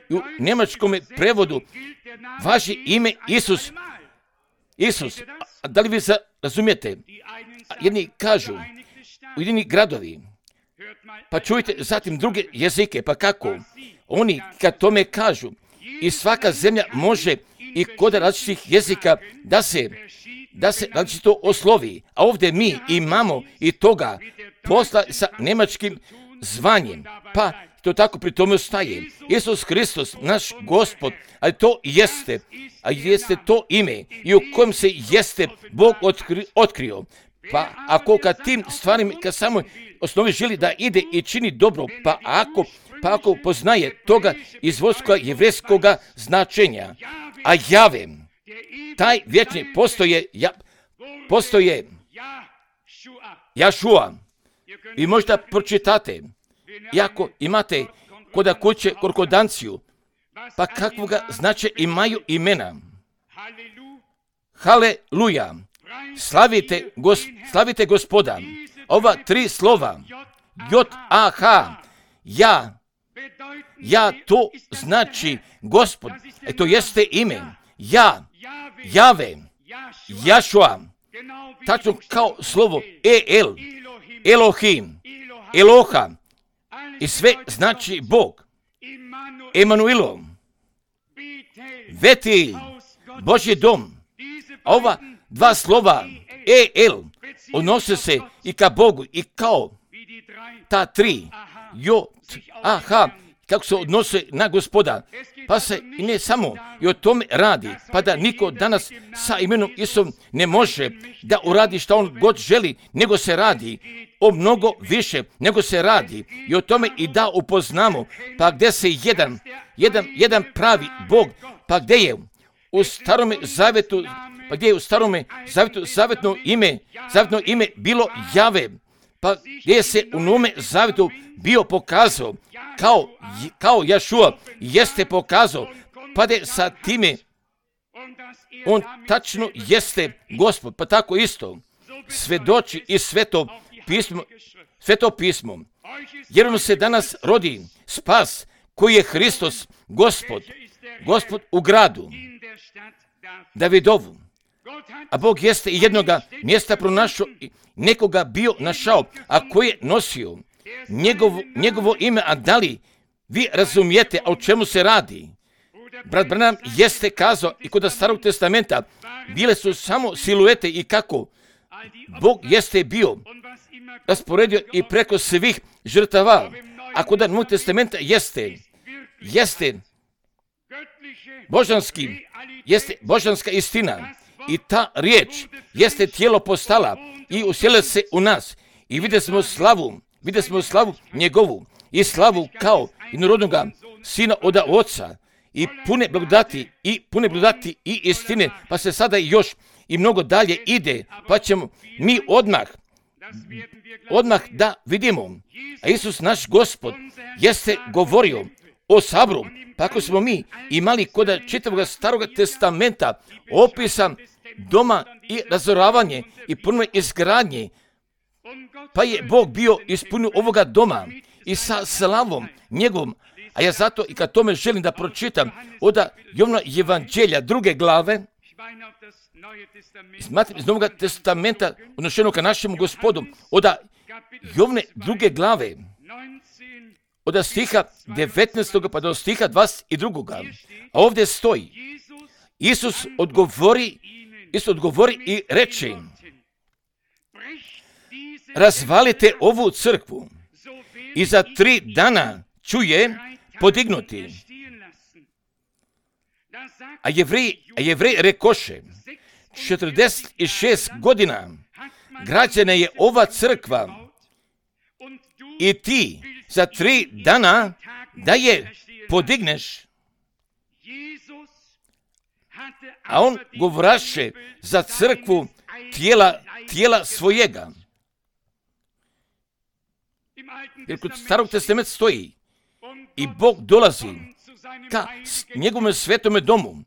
U njemačkom prevodu važi ime Isus. Isus, a da li vi razumijete? Jedni kažu, ujedini gradovi, pa čujte zatim druge jezike, pa kako? Oni kad tome kažu, i svaka zemlja može i kod različitih jezika da se, da se različito oslovi. A ovdje mi imamo i toga posla sa njemačkim zvanjem, pa to tako pri tome ostaje. Isus Hristos, naš Gospod, ali to jeste, a jeste to ime i u kojem se jeste Bog otkri, otkrio. Pa ako kad tim stvarima, kad samo osnovi želi da ide i čini dobro, pa ako, pa ako poznaje toga izvorskoga jevrejskoga značenja, a Jave, taj vječni postoje, ja, postoje Jašua. Vi možda pročitate, iako imate koda kuće korkodanciju, pa kakvoga znače imaju imena. Haleluja. Slavite, gos, slavite Gospoda. Ova tri slova, J A H, ja, ja, to znači Gospod, e to jeste ime, ja, Jave, Jašua, tačno kao slovo E L, Elohim, Eloha, i sve znači Bog, Emanuilo, Vetilj, Božji dom. Ova dva slova E L odnose se i ka Bogu i kao ta tri, J A H, kako se odnose na Gospoda. Pa se i ne samo i o tome radi, pa da niko danas sa imenom Isusom ne može da uradi što on god želi, nego se radi o mnogo više, nego se radi i o tome i da upoznamo, pa gdje se jedan, jedan, jedan pravi Bog, pa gdje je u starome zavjetu, pa gdje je u starome zavjetu zavjetno ime, zavjetno ime bilo Jave, pa gdje se u Novome zavjetu bio pokazao kao, kao Jašua, jeste pokazao, pa da sa time on tačno jeste Gospod, pa tako isto svedoči i sveto pismo, sveto pismo, jer on se danas rodi spas koji je Hristos, Gospod, Gospod u gradu Davidovu. A Bog jeste i jednoga mjesta pronašao, nekoga bio našao, a koji je nosio njegovo, njegovo ime, a da li vi razumijete o čemu se radi? Brat Branham jeste kazao i kod Starog testamenta bile su samo siluete i kako Bog jeste bio rasporedio i preko svih žrtava, a kod Novog testamenta jeste, jeste božanski, jeste božanska istina i ta riječ jeste tijelo postala i uselila se u nas i vidjeli smo slavu, vidjeli smo slavu njegovu i slavu kao jednorodnoga sina od oca i pune blagodati i pune blagodati i istine, pa se sada još i mnogo dalje ide, pa ćemo mi odmah odmah da vidimo. A Isus naš Gospod jeste govorio o saboru, pa ako smo mi imali kod čitavog Starog testamenta opisan doma i razoravanje i puno izgradnje, pa je Bog bio ispunio ovoga doma i sa slavom njegovom. A ja zato i kad tome želim da pročitam od Jovana Evanđelja druge glave, smatram iz Novog testamenta odnošeno ka našemu Gospodu, od Jovne druge glave, od stiha devetnaestog pa do stiha dvadeset drugog. A ovdje stoji, Isus odgovori, Isus odgovori i reče, razvalite ovu crkvu i za tri dana ću je podignuti. A jevreji, a jevreji rekoše, četrdeset šest godina građena je ova crkva i ti za tri dana da je podigneš. A on govoraše za crkvu tijela, tijela svojega. Jer kod Starog testamenta stoji i Bog dolazi ka njegovom svetome domu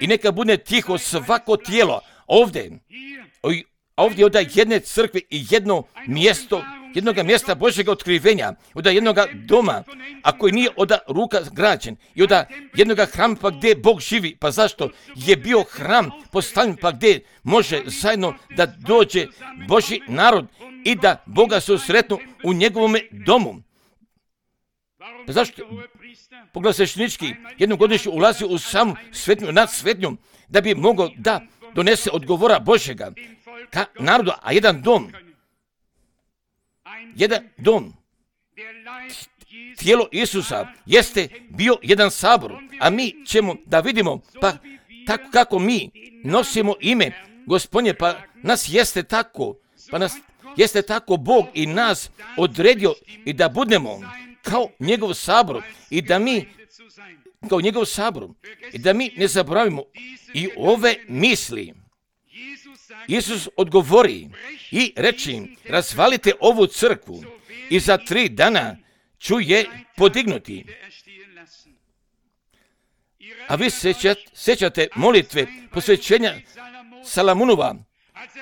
i neka bude tiho svako tijelo. Ovdje, ovdje od jedne crkve i jedno mjesto, jednoga mjesta Božjega otkrivenja, od jednoga doma, a koji nije od ruka građen, i od jednoga hrama pa gdje Bog živi. Pa zašto je bio hram postavljen pa gdje može zajedno da dođe Božji narod i da Boga susretnu u njegovome domu? Pa zašto pogled sveštenički jednogodišnje ulazi u samu svetnju, nad svetnjom, da bi mogao da donese odgovora Božjega ka narodu, a jedan dom, jedan dom, tijelo Isusa jeste bio jedan sabor, a mi ćemo da vidimo, pa tako kako mi nosimo ime Gospodnje, pa nas jeste tako, pa nas jeste tako Bog i nas odredio i da budemo kao njegov sabor i da mi kao njegov sabor i da mi ne zaboravimo i ove misli. Isus odgovori i reči, razvalite ovu crkvu i za tri dana ću je podignuti. A vi sećate, sećate molitve posvećenja Salamunova,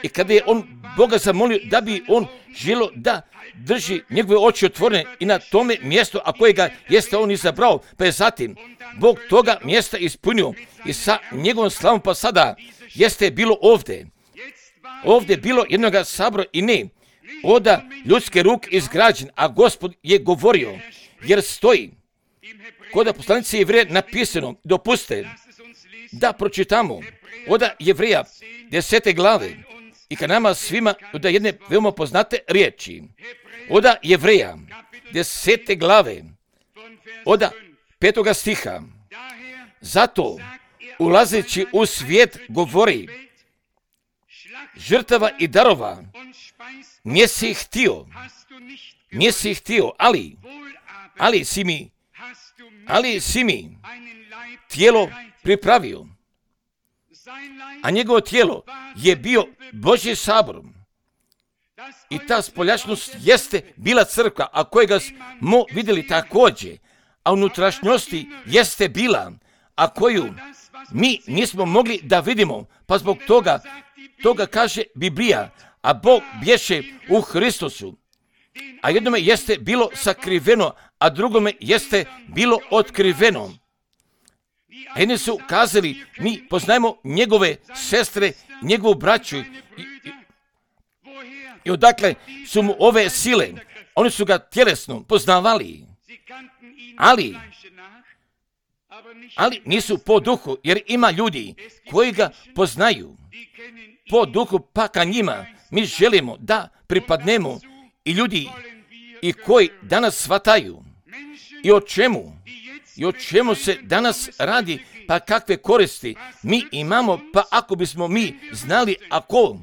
i kada je on Boga zamolio da bi on želio da drži njegove oči otvorene i na tome mjestu, a kojega jeste on izabrao, pa je zatim Bog toga mjesta ispunio i sa njegovom slavom pa sada jeste bilo ovdje. Ovdje bilo jednoga sabora i ne oda ljudske ruke izgrađen, a Gospod je govorio, jer stoji kod poslanice Jevreja napisano, dopuste da pročitamo oda Jevreja desete glave i ka nama svima oda jedne veoma poznate riječi. Oda Jevreja desete glave oda petoga stiha. Zato ulazeći u svijet govori, žrtava i darova nisi htio, nisi htio, ali, ali si mi, ali si mi tijelo pripravio, a njegovo tijelo je bio Božji sabor. I ta spoljašnost jeste bila crkva, a kojega smo vidjeli također, a unutrašnjosti jeste bila, a koju mi nismo mogli da vidimo, pa zbog toga, toga kaže Biblija, a Bog bješe u Hristusu. A jednome jeste bilo sakriveno, a drugome jeste bilo otkriveno. A jedni su kazali, mi poznajemo njegove sestre, njegovu braću. I, i, i odakle su mu ove sile? Oni su ga tjelesno poznavali. Ali, ali nisu po duhu, jer ima ljudi koji ga poznaju po duhu, pa ka njima mi želimo da pripadnemo i ljudi i koji danas shvataju i o čemu i o čemu se danas radi, pa kakve koristi mi imamo, pa ako bismo mi znali ako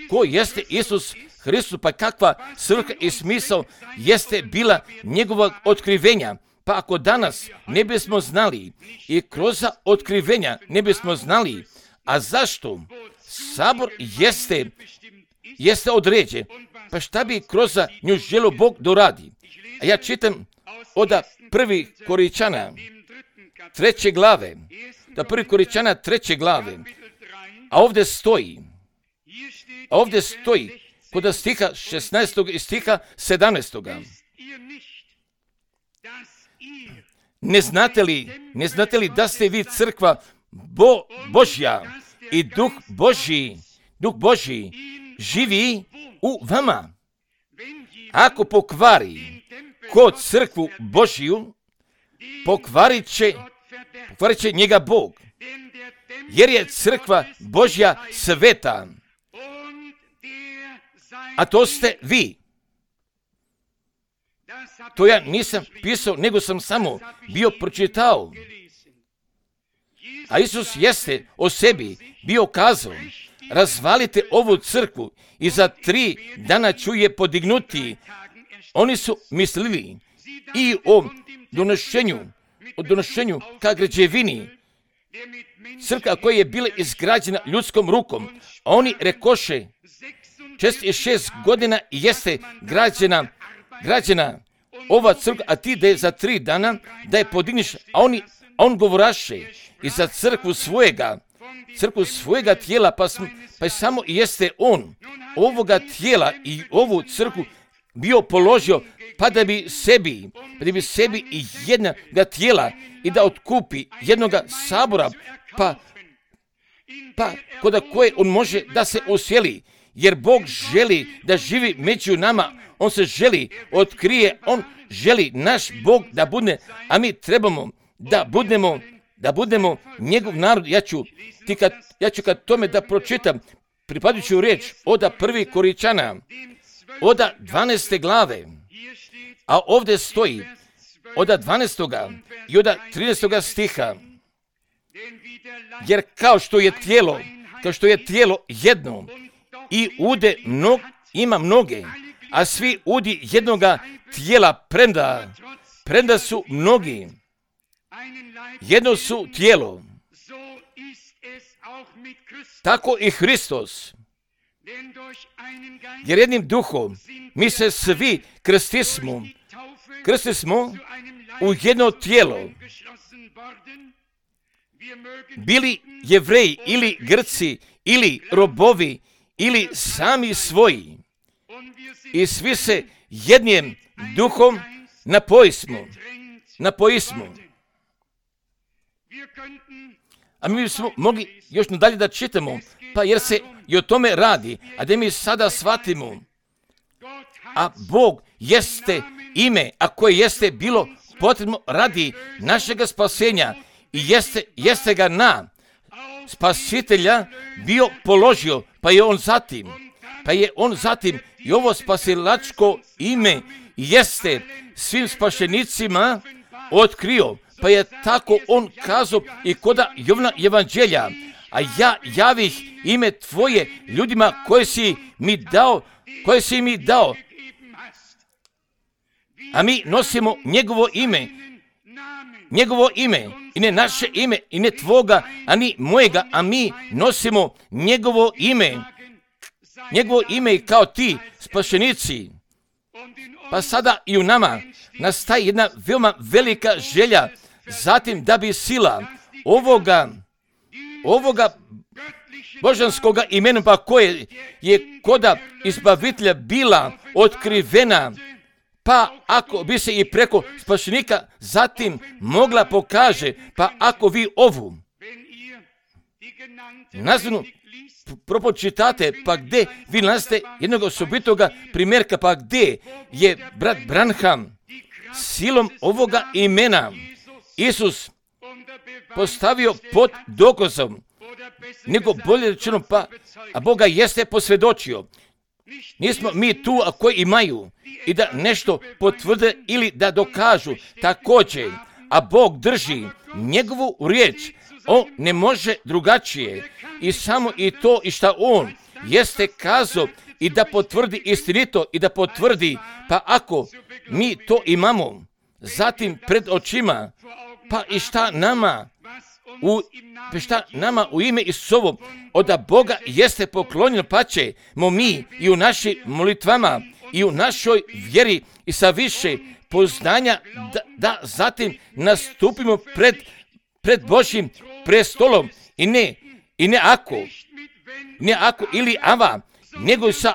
ko jeste Isus Hristus, pa kakva svrha i smisao jeste bila njegovog otkrivenja. Pa ako danas ne bismo znali i kroz otkrivenja ne bismo znali, a zašto sabor jeste, jeste određen, pa šta bi kroz nju želio Bog doradi? A ja čitam od prvi Koričana treće glave, da prvi Koričana treće glave, a ovdje stoji, a ovdje stoji kod stiha šesnaestog i stiha sedamnaestog. Ne znate li, ne znate li da ste vi crkva Bo, Božja i Duh Božji, Duh Božji živi u vama? Ako pokvari ko crkvu Božju, pokvarit će, pokvarit će njega Bog, jer je crkva Božja sveta, a to ste vi. To ja nisam pisao, nego sam samo bio pročitao. A Isus jeste o sebi bio kazao, razvalite ovu crkvu i za tri dana ću je podignuti. Oni su mislili i o donošenju, o donošenju ka građevini, crkva koja je bila izgrađena ljudskom rukom. A oni rekoše, šezdeset šest godina jeste građena, građena ova crkva, a ti da je za tri dana da je podigniš, a oni, a on govoraše i za crkvu svojega, crkvu svojega tijela, pa, sm, pa samo jeste on ovoga tijela i ovu crkvu bio položio, pa da bi sebi, pa da bi sebi i jednoga tijela i da otkupi jednoga sabora, pa, pa kod koje on može da se usjeli, jer Bog želi da živi među nama, on se želi, otkrije, on želi naš Bog da bude, a mi trebamo da budemo, da budemo njegov narod. Ja ću, ti kad, ja ću kad tome da pročitam pripadajuću riječ oda prvi Koričana, oda dvanaeste glave, a ovdje stoji oda dvanaestoga i oda trinaestoga stiha, jer kao što je tijelo, kao što je tijelo jedno i ude mnog, ima mnoge, a svi udi jednoga tijela premda, premda su mnogi, jedno su tijelo, tako i Hristos. Jer jednim duhom mi se svi krstismo, krstismo u jedno tijelo, bili Jevreji ili Grci ili robovi ili sami svoji. I svi se jednim duhom napojismo. Napojismo. A mi bismo mogli još nadalje da čitamo, pa jer se i o tome radi, a da mi sada shvatimo. A Bog jeste ime, a koje jeste bilo potrebno radi našega spasenja i jeste, jeste ga na spasitelja bio položio, pa je on zatim, pa je on zatim i ovo spasilačko ime jeste svim spašenicima otkrio, pa je tako on kazao i koda Jovana evanđelja, a ja javih ime tvoje ljudima koje si mi dao, koje si mi dao, a mi nosimo njegovo ime, njegovo ime, i ne naše ime, i ne tvoga, a ni mojega, a mi nosimo njegovo ime, njegovo ime i kao ti, spašenici. Pa sada i u nama nastaje jedna veoma velika želja, zatim da bi sila ovoga, ovoga božanskoga imena, pa koje je koda izbavitelja bila otkrivena, pa ako bi se i preko spašenika zatim mogla pokaže, pa ako vi ovu nazvanu propočitate, pa gde vi nalazite jednog osobitoga primjerka, pa gde je brat Branham silom ovoga imena Isus postavio pod dokazom, nego bolje rečeno, pa a Boga jeste posvjedočio. Nismo mi tu, a koji imaju i da nešto potvrde ili da dokažu također, a Bog drži njegovu riječ, on ne može drugačije i samo i to i šta on jeste kazao i da potvrdi istinito i da potvrdi, pa ako mi to imamo zatim pred očima, pa i šta nama u, pa šta nama u ime Isusovo od Boga jeste poklonjeno, pa ćemo mi i u našim molitvama i u našoj vjeri i sa više poznanja da, da zatim nastupimo pred, pred Božjim prestolom i ne, i ne ako, ne ako ili ava, nego i sa,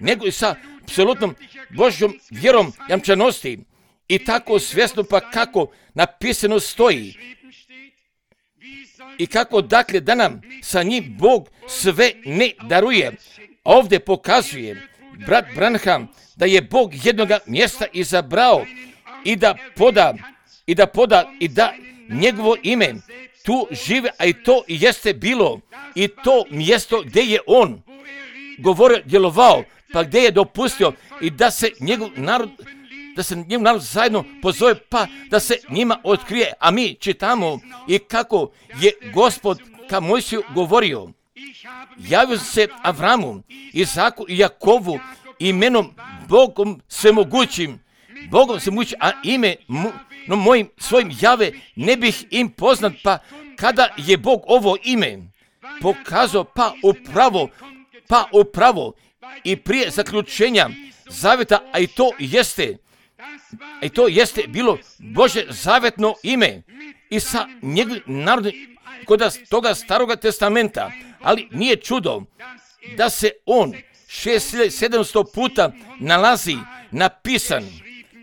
nego i sa apsolutnom Božjom vjerom jamčanosti i tako svjesno, pa kako napisano stoji i kako dakle da nam sa njim Bog sve ne daruje. Ovdje pokazuje brat Branham da je Bog jednoga mjesta izabrao i da poda i da poda i da njegovo ime tu žive, a i to jeste bilo i to mjesto gdje je on govorio, djelovao, pa gdje je dopustio i da se njegov narod da se njim narod zajedno pozove, pa da se njima otkrije. A mi čitamo i kako je Gospod ka Mojsiju govorio. Javio se Avramu, Izaku i Jakovu imenom Bogom svemogućim, Bogom svemogućim, a ime mu, no mojim svojim jave ne bih im poznat, pa kada je Bog ovo ime pokazao, pa upravo, pa upravo i prije zaključenja zavjeta, a i to jeste, a i to jeste bilo Božje zavjetno ime i sa njegovim narodom kod toga staroga testamenta, ali nije čudo da se on šest hiljada sedamsto puta nalazi napisan,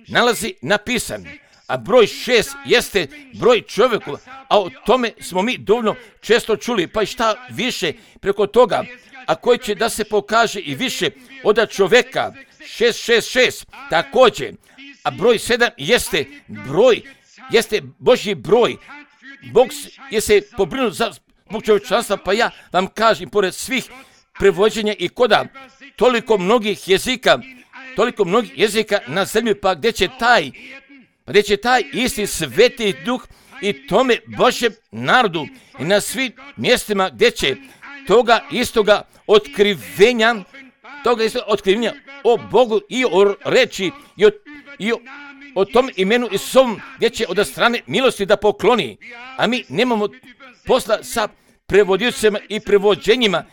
nalazi napisan, a broj šest jeste broj čovjeku, a o tome smo mi dovoljno često čuli, pa i šta više preko toga, a koji će da se pokaže i više od čovjeka, šest šest šest također, a broj sedam jeste broj, jeste Božji broj. Bog je se pobrinuo za zbog čovječanstva, pa ja vam kažem, pored svih prevođenja i koda toliko mnogih jezika, toliko mnogih jezika na zemlji, pa gdje će taj, pa gdje će taj isti sveti duh i tome Božjem narodu i na svim mjestima gdje će toga istoga otkrivenja, toga istoga otkrivenja o Bogu i o reči i o, i o, o tom imenu Isusovom gdje će od strane milosti da pokloni, a mi nemamo posla sa prevodicama i prevođenjima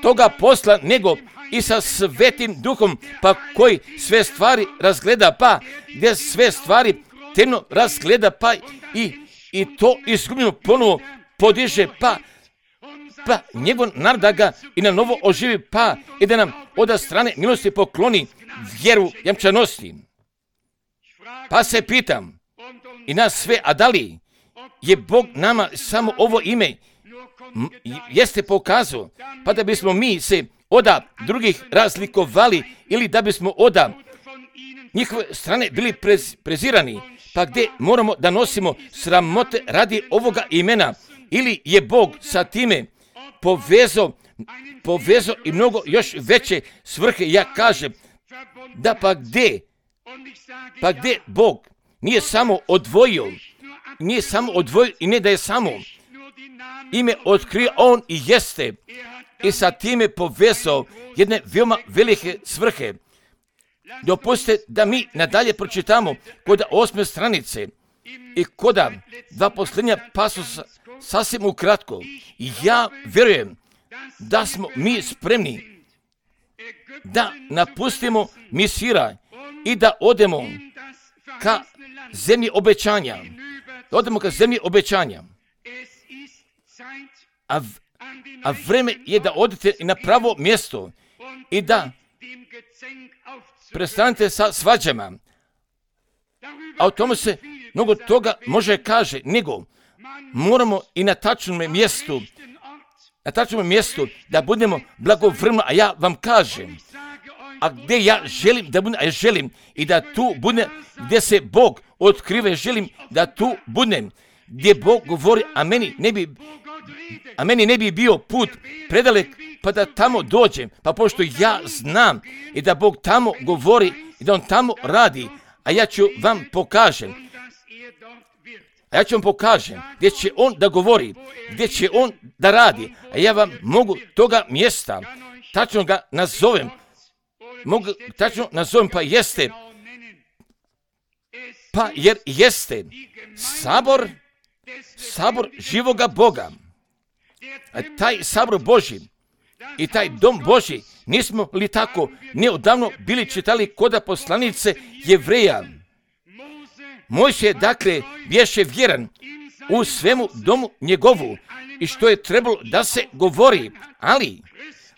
toga posla, nego i sa svetim duhom, pa koji sve stvari razgleda, pa gdje sve stvari temno razgleda, pa i, i to izgubljeno ponovo podiže, pa pa njegov narod da ga i na novo oživi, pa i da nam od strane milosti pokloni vjeru jamčanosti. Pa se pitam i nas sve, a da li je Bog nama samo ovo ime jeste pokazao, pa da bismo mi se oda drugih razlikovali ili da bismo oda njihove strane bili prez, prezirani, pa gdje moramo da nosimo sramote radi ovoga imena, ili je Bog sa time povezao, povezao i mnogo još veće svrhe. Ja kažem da pa gdje, pa gdje Bog nije samo odvojio, nije samo odvojio i ne da je samo ime otkrio, on i jeste i sa time povezao jedne veoma velike svrhe. Dopustite da mi nadalje pročitamo kod osme stranice i kod dva posljednja pasusa sasvim ukratko. Ja vjerujem da smo mi spremni da napustimo Misira i da odemo ka zemlji obećanja. Da odemo ka zemlji obećanja. A, a vreme je da odete na pravo mjesto i da prestanete sa svađama. A o tome se mnogo toga može kaže, nego moramo i na tačnom mjestu, na tačnom mjestu da budemo blagovremeno, a ja vam kažem, a gdje ja želim da budem, a ja želim i da tu budem, gdje se Bog otkrive, želim da tu budem, gdje Bog govori, a meni ne bi, a meni ne bi bio put predalek, pa da tamo dođem, pa pošto ja znam i da Bog tamo govori i da On tamo radi, a ja ću vam pokažem, a ja ću vam pokažem gdje će On da govori, gdje će On da radi, a ja vam mogu toga mjesta, tačno ga nazovem, mogu tačno nazovem, pa jeste, pa jer jeste sabor, sabor živoga Boga, a taj sabor Božji i taj dom Božji, nismo li tako neodavno bili čitali koda poslanice Jevreja. Mojsije dakle bješe vjeran u svemu domu njegovu i što je trebalo da se govori, ali,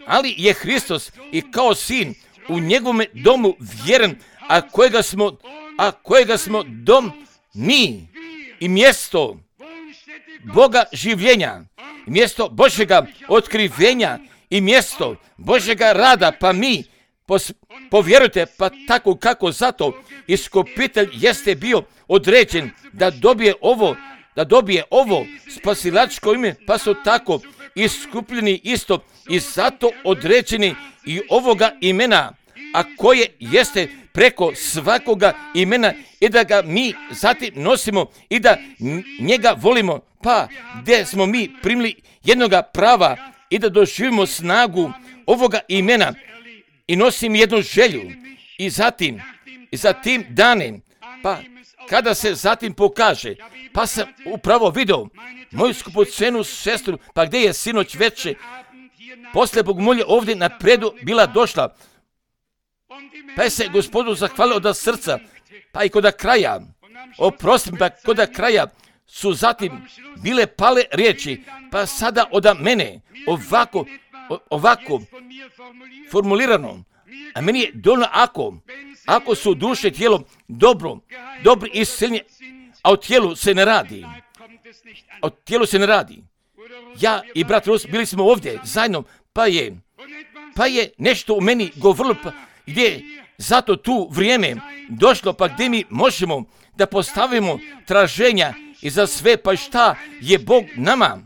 ali je Hristos i kao sin u njegovome domu vjeran, a kojega smo, a kojega smo dom mi i mjesto Boga življenja, mjesto Božjega otkrivenja i mjesto Božjega rada, pa mi pos, povjerujte, pa tako kako zato iskupitelj jeste bio određen da dobije ovo, da dobije ovo spasilačko ime, pa su tako iskupljeni isto i zato određeni i ovoga imena, a koje jeste preko svakoga imena i da ga mi zatim nosimo i da njega volimo, pa gdje smo mi primili jednoga prava i da doživimo snagu ovoga imena i nosim jednu želju i zatim, i za tim danem, pa kada se zatim pokaže, pa sam upravo vidio moju skupocenu sestru, pa gdje je sinoć veče, poslije Bogomolje ovdje napredu bila došla, pa je se Gospodu zahvalio od srca, pa i kod kraja, oprostim, pa kod kraja su zatim bile pale riječi, pa sada od mene ovako, ovako formulirano, a meni je dovoljno ako, ako su duše tijelo dobro, dobro isceljenje, a o tijelu se ne radi, a o tijelu se ne radi. Ja i brat Rus bili smo ovdje zajedno, pa je, pa je nešto u meni govorilo, pa gdje zato tu vrijeme došlo, pa gdje mi možemo da postavimo traženja i za sve, pa šta je Bog nama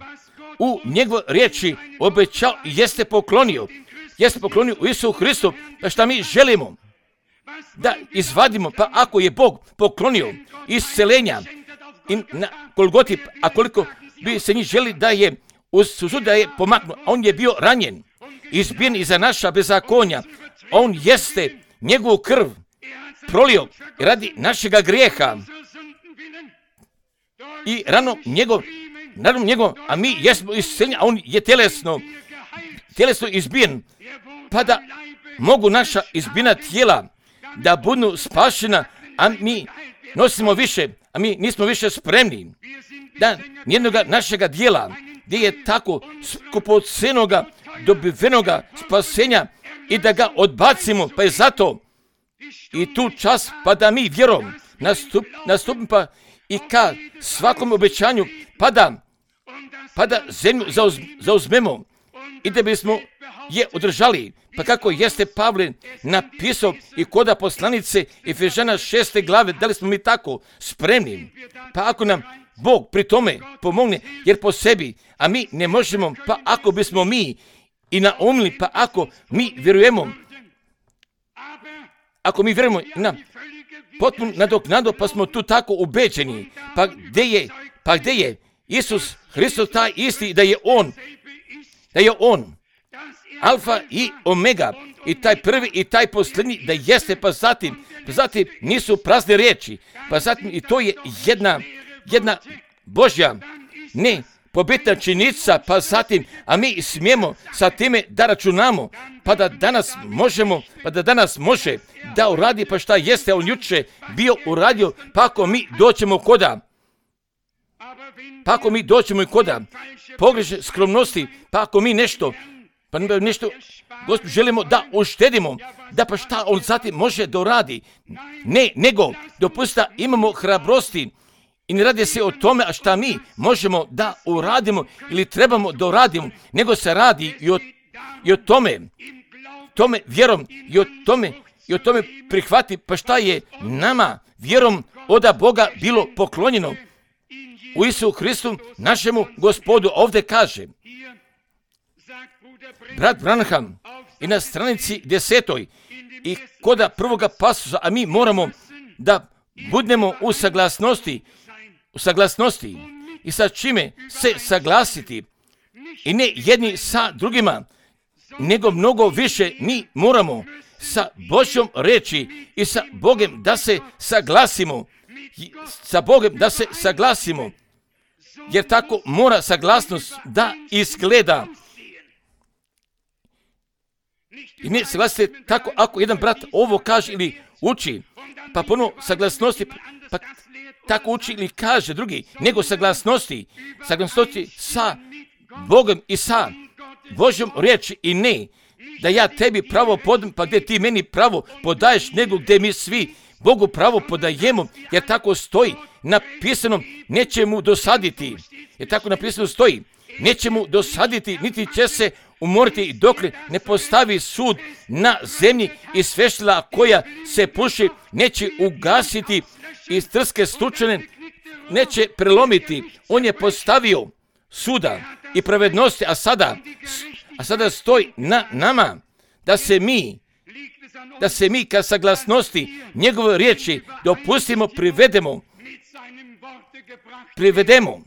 u njegove riječi obećao i jeste poklonio, jeste poklonio u Isusu Hristu, pa šta mi želimo da izvadimo, pa ako je Bog poklonio iscelenja i na Golgoti, a koliko bi se njih želi da je uz sud da je pomaknuo, a on je bio ranjen, izbijen iza naša bezakonja, on jeste njegovu krv prolio radi našega grijeha i rano njegov, rano njegov, a mi jesmo isceljeni, a on je tjelesno, tjelesno izbijen, pa da mogu naša izbijena tijela da budu spašena, a mi nosimo više, a mi nismo više spremni da nijednoga našega dijela gdje je tako skupocenoga dobivenoga spasenja i da ga odbacimo, pa je zato i tu čas, pa da mi vjerom nastup, nastupimo pa i ka svakom obećanju, pa da, pa da zemlju zauz, zauzmemo i da bismo je održali. Pa kako jeste Pavle napisao i koda poslanice Efežana šeste glave, da li smo mi tako spremni? Pa ako nam Bog pri tome pomogne, jer po sebi, a mi ne možemo, pa ako bismo mi i naumili, pa ako mi vjerujemo, ako mi vjerujemo na potpuno nadoknadu, pa smo tu tako ubeđeni, pa gdje je, pa gdje je Isus Hristos taj isti, da je On, da je On, Alfa i Omega, i taj prvi i taj posljednji, da jeste, pa zatim, pa zatim nisu prazne riječi, pa zatim i to je jedna, jedna Božja, ne, pobitna činjenica, pa zatim, a mi smijemo sa time da računamo, pa da danas možemo, pa da danas može da uradi, pa šta jeste on juče bio uradio, pa ako mi doćemo koda, pa ako mi doćemo i koda pogreše skromnosti, pa ako mi nešto, pa nešto, Gospod, želimo da uštedimo, da pa šta on zatim može da uradi, ne, nego dopusta imamo hrabrosti. I ne radi se o tome, a šta mi možemo da uradimo ili trebamo da uradimo, nego se radi i o, i o tome, tome vjerom i o tome, i o tome prihvati, pa šta je nama vjerom oda Boga bilo poklonjeno u Isu Hristu, našemu Gospodu. Ovdje kaže brat Branham i na stranici desetoj i koda prvoga pasusa, a mi moramo da budemo u saglasnosti, u saglasnosti i sa čime se saglasiti i ne jedni sa drugima, nego mnogo više mi moramo sa Božjom reči i sa Bogom da se saglasimo, sa Bogom da se saglasimo, jer tako mora saglasnost da izgleda. I ne saglasite tako ako jedan brat ovo kaže ili uči, pa puno saglasnosti, pa tako uči ili kaže drugi, nego saglasnosti, saglasnosti sa Bogom i sa Božjom riječi i ne, da ja tebi pravo podam, pa gdje ti meni pravo podaješ, nego gdje mi svi Bogu pravo podajemo, jer tako stoji napisano, neće mu dosaditi, jer tako napisano stoji, neće mu dosaditi, niti će se umoriti dok ne postavi sud na zemlji i sveštila koja se puši, neće ugasiti i trske stučene neće prelomiti. On je postavio suda i pravednosti, a sada, a sada stoji na nama da se mi, da se mi ka saglasnosti njegove riječi dopustimo, privedemo, privedemo.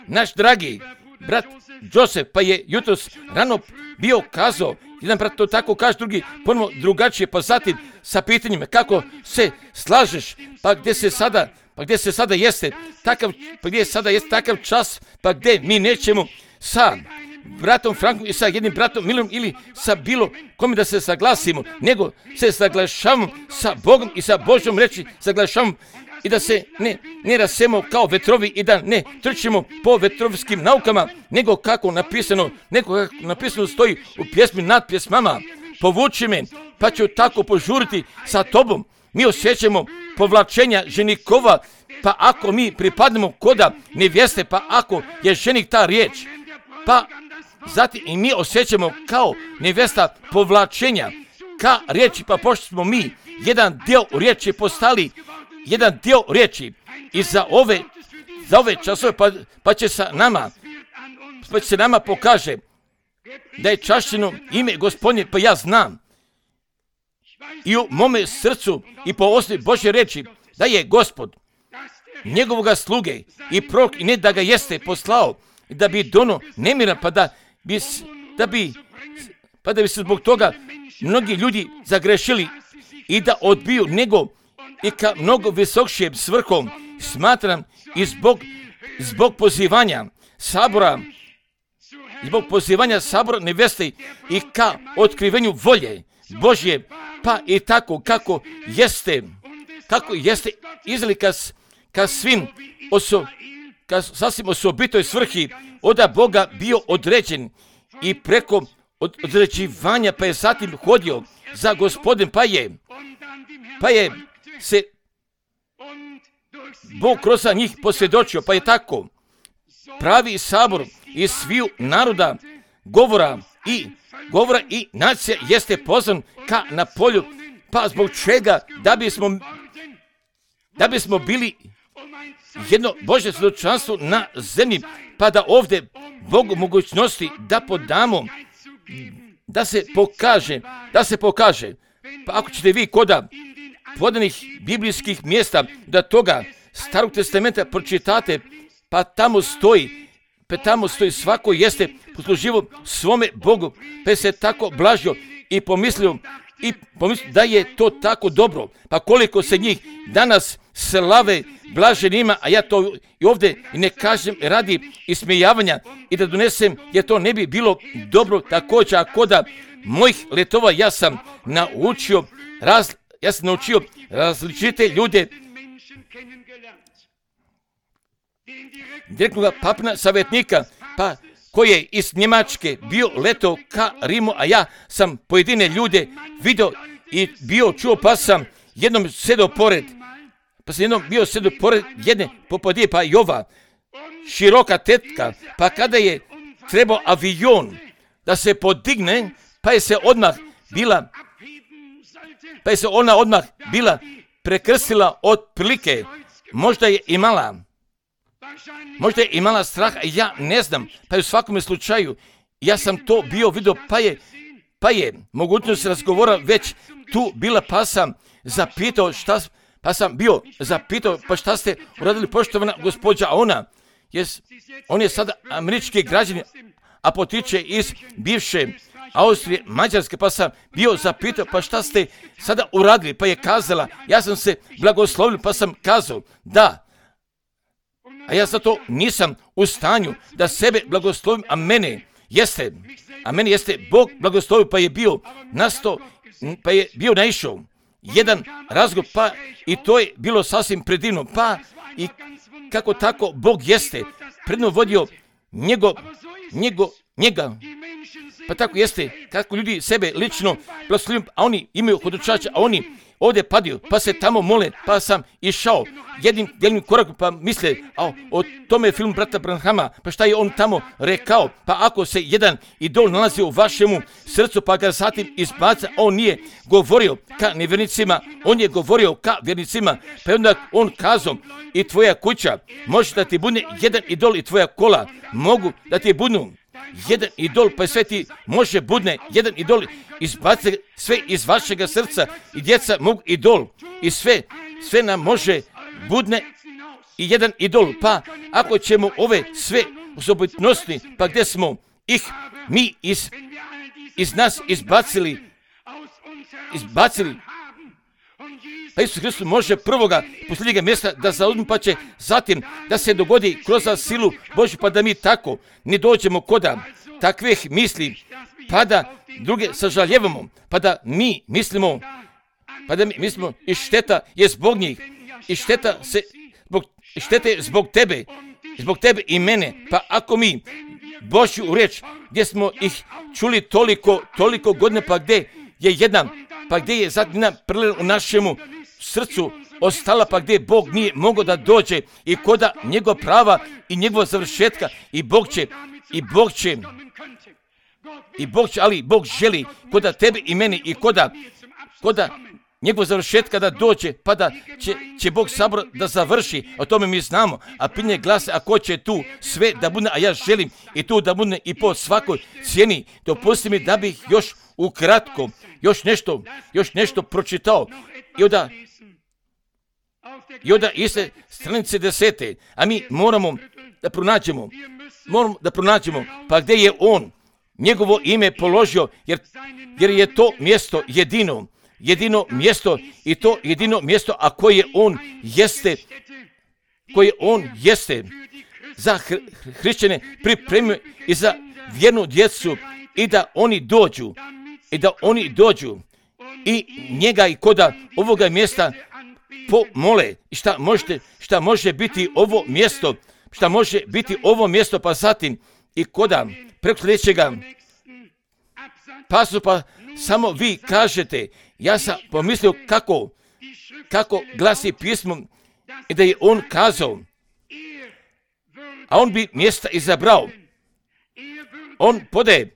Naš dragi brat Josef, pa je jutros rano bio kazao, jedan brat to tako kaže, drugi ponovno drugačije, pa zatim sa pitanjima kako se slažeš, pa gdje se sada, pa gdje se sada jeste, takav, pa gdje sada jeste takav čas, pa gdje mi nećemo sa bratom Frankom i sa jednim bratom Milom ili sa bilo kome da se saglasimo, nego se saglašavamo sa Bogom i sa Božjom reči, saglašavamo i da se ne, ne rasemo kao vetrovi i da ne trčimo po vetrovskim naukama, nego kako napisano, nego kako napisano stoji u pjesmi nad pjesmama, povuči me, pa ću tako požuriti sa tobom. Mi osjećamo povlačenja ženikova, pa ako mi pripadnemo koda nevjeste, pa ako je ženik ta riječ, pa zatim i mi osjećamo kao nevjesta povlačenja ka riječi, pa pošto smo mi jedan dio riječi postali, jedan dio riječi i za ove, za ove časove, pa, pa će sa nama, pa će se nama pokaže da je čašćeno ime Gospodnje, pa ja znam i u mome srcu i po osnovi Božje reči da je Gospod njegovoga sluge i prorok i ne da ga jeste poslao da bi dono nemira, pa da bi, da bi, pa da bi se zbog toga mnogi ljudi zagrešili i da odbiju nego i ka mnogo visokšijim svrhom. Smatram i zbog, zbog pozivanja sabora, zbog pozivanja sabora nevjeste i ka otkrivenju volje Božje, pa i tako kako jeste, kako jeste izlika ka svim oso, ka sasvim osobitoj svrhi od Boga bio određen i preko određivanja pa je zatim hodio za Gospodin, pa je, pa je se Bog kroz njih posvjedočio, pa je tako pravi sabor iz sviju naroda, govora i govora i nacija jeste pozvan ka na polju, pa zbog čega? Da bismo, da bismo bili jedno Božje svjedočanstvo na zemlji, pa da ovdje Bogu mogućnosti da podamo, da se pokaže, da se pokaže. Pa ako ćete vi koda podanih biblijskih mjesta da toga Starog testamenta pročitate, pa tamo stoji, pa tamo stoji svako jeste posluživo svome Bogu, pa se tako blažio i pomislio, i pomislio da je to tako dobro. Pa koliko se njih danas slave blaženima, a ja to i ovdje ne kažem radi ismijavanja i da donesem, jer to ne bi bilo dobro također, ako da mojih letova ja sam naučio, raz, ja sam naučio različite ljude, direktnog papina savjetnika, pa koji je iz Njemačke bio leto ka Rimu, a ja sam pojedine ljude vidio i bio čuo, pa sam jednom sedao pored, pa sam jednom bio sedao pored jedne popodije, pa Jova, široka tetka, pa kada je trebao avion da se podigne, pa je se odmah bila, pa je se ona odmah bila prekrstila od prilike, možda je imala, možda je imala straha, ja ne znam, pa je u svakome slučaju, ja sam to bio vidio, pa je, pa je mogućnost razgovora već tu bila, pa sam zapitao šta, pa sam bio zapitao, pa šta ste uradili, poštovana gospođa, a ona, jes, on je sada američki građanin, a potiče iz bivše Austrije, Mađarske, pa sam bio zapitao, pa šta ste sada uradili, pa je kazala, ja sam se blagoslovio, pa sam kazao, da, a ja zato nisam u stanju da sebe blagoslovim, a mene jeste, a meni jeste Bog blagoslovio, pa je bio nasto, pa je bio naišao jedan razgovor, pa i to je bilo sasvim predivno, pa i kako tako Bog jeste predno vodio njego, njego, njega, pa tako jeste kako ljudi sebe lično blagoslovim, a oni imaju hodočača, a oni ovdje padaju, pa se tamo mole, pa sam išao jednim djeljnim korakom, pa misle, a o tome je film brata Branhama, pa šta je on tamo rekao, pa ako se jedan idol nalazi u vašemu srcu, pa ga zatim izbaca, on nije govorio ka nevjernicima, on je govorio ka vjernicima, pa je onda on kazao, i tvoja kuća može da ti budne jedan idol i tvoja kola mogu da ti budnu jedan idol, pa sve ti može budne jedan idol, izbaci sve iz vašega srca i djeca mogu idol i sve, sve nam može budne i jedan idol, pa ako ćemo ove sve osobitnosti, pa gdje smo ih mi iz, iz nas izbacili, izbacili, pa Isus Hristos može prvoga posljednjega mjesta da zauzme, pa će zatim da se dogodi kroz silu Božju, pa da mi tako ne dođemo koda takvih misli, pa da druge sažaljevamo, pa da mi mislimo, pa da mi mislimo i šteta je zbog njih, i šteta se zbog, šteta je zbog tebe, zbog tebe i mene, pa ako mi Božju riječ gdje smo ih čuli toliko, toliko godina, pa gdje je jedna, pa gdje je zadnja prlela u našemu srcu ostala, pa gdje Bog nije mogao da dođe i koda njegov prava i njegova završetka, i Bog će, i Bog će, i Bog će, ali Bog želi koda tebe i mene i koda, koda njegov završetka da dođe, pa da će, će Bog sabor da završi, o tome mi znamo, a pitanje glasa, a ko će tu sve da bude, a ja želim i tu da bude i po svakoj cijeni. Dopusti mi da bih još ukratko, još nešto, još nešto pročitao, i onda, i onda iste stranice desete, a mi moramo da pronađemo, moramo da pronađemo, pa gdje je on njegovo ime položio, jer, jer je to mjesto jedino, jedino mjesto, i to jedino mjesto, a koje on jeste, koje on jeste za hrišćane pripremio i za vjernu djecu, i da oni dođu, i da oni dođu i njega i koda ovoga mjesta pomole. I šta, možete, šta može biti ovo mjesto, šta može biti ovo mjesto, pa zatim i koda preko sljedećega pasu, pa samo vi kažete, ja sam pomislio kako, kako glasi pismo i da je on kazao, a on bi mjesta izabrao. On podaje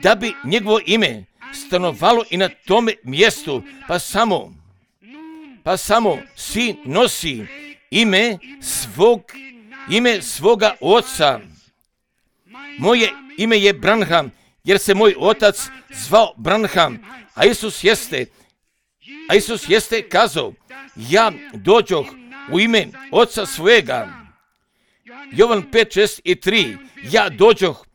da bi njegovo ime stanovalo i na tome mjestu, pa samo, pa samo sin nosi ime svog, ime svoga oca. Moje ime je Branham, jer se moj otac zvao Branham, a Isus jeste, a Isus jeste kazao, ja dođoh u ime oca svojega. Jovan pet, šest i tri, ja dođoh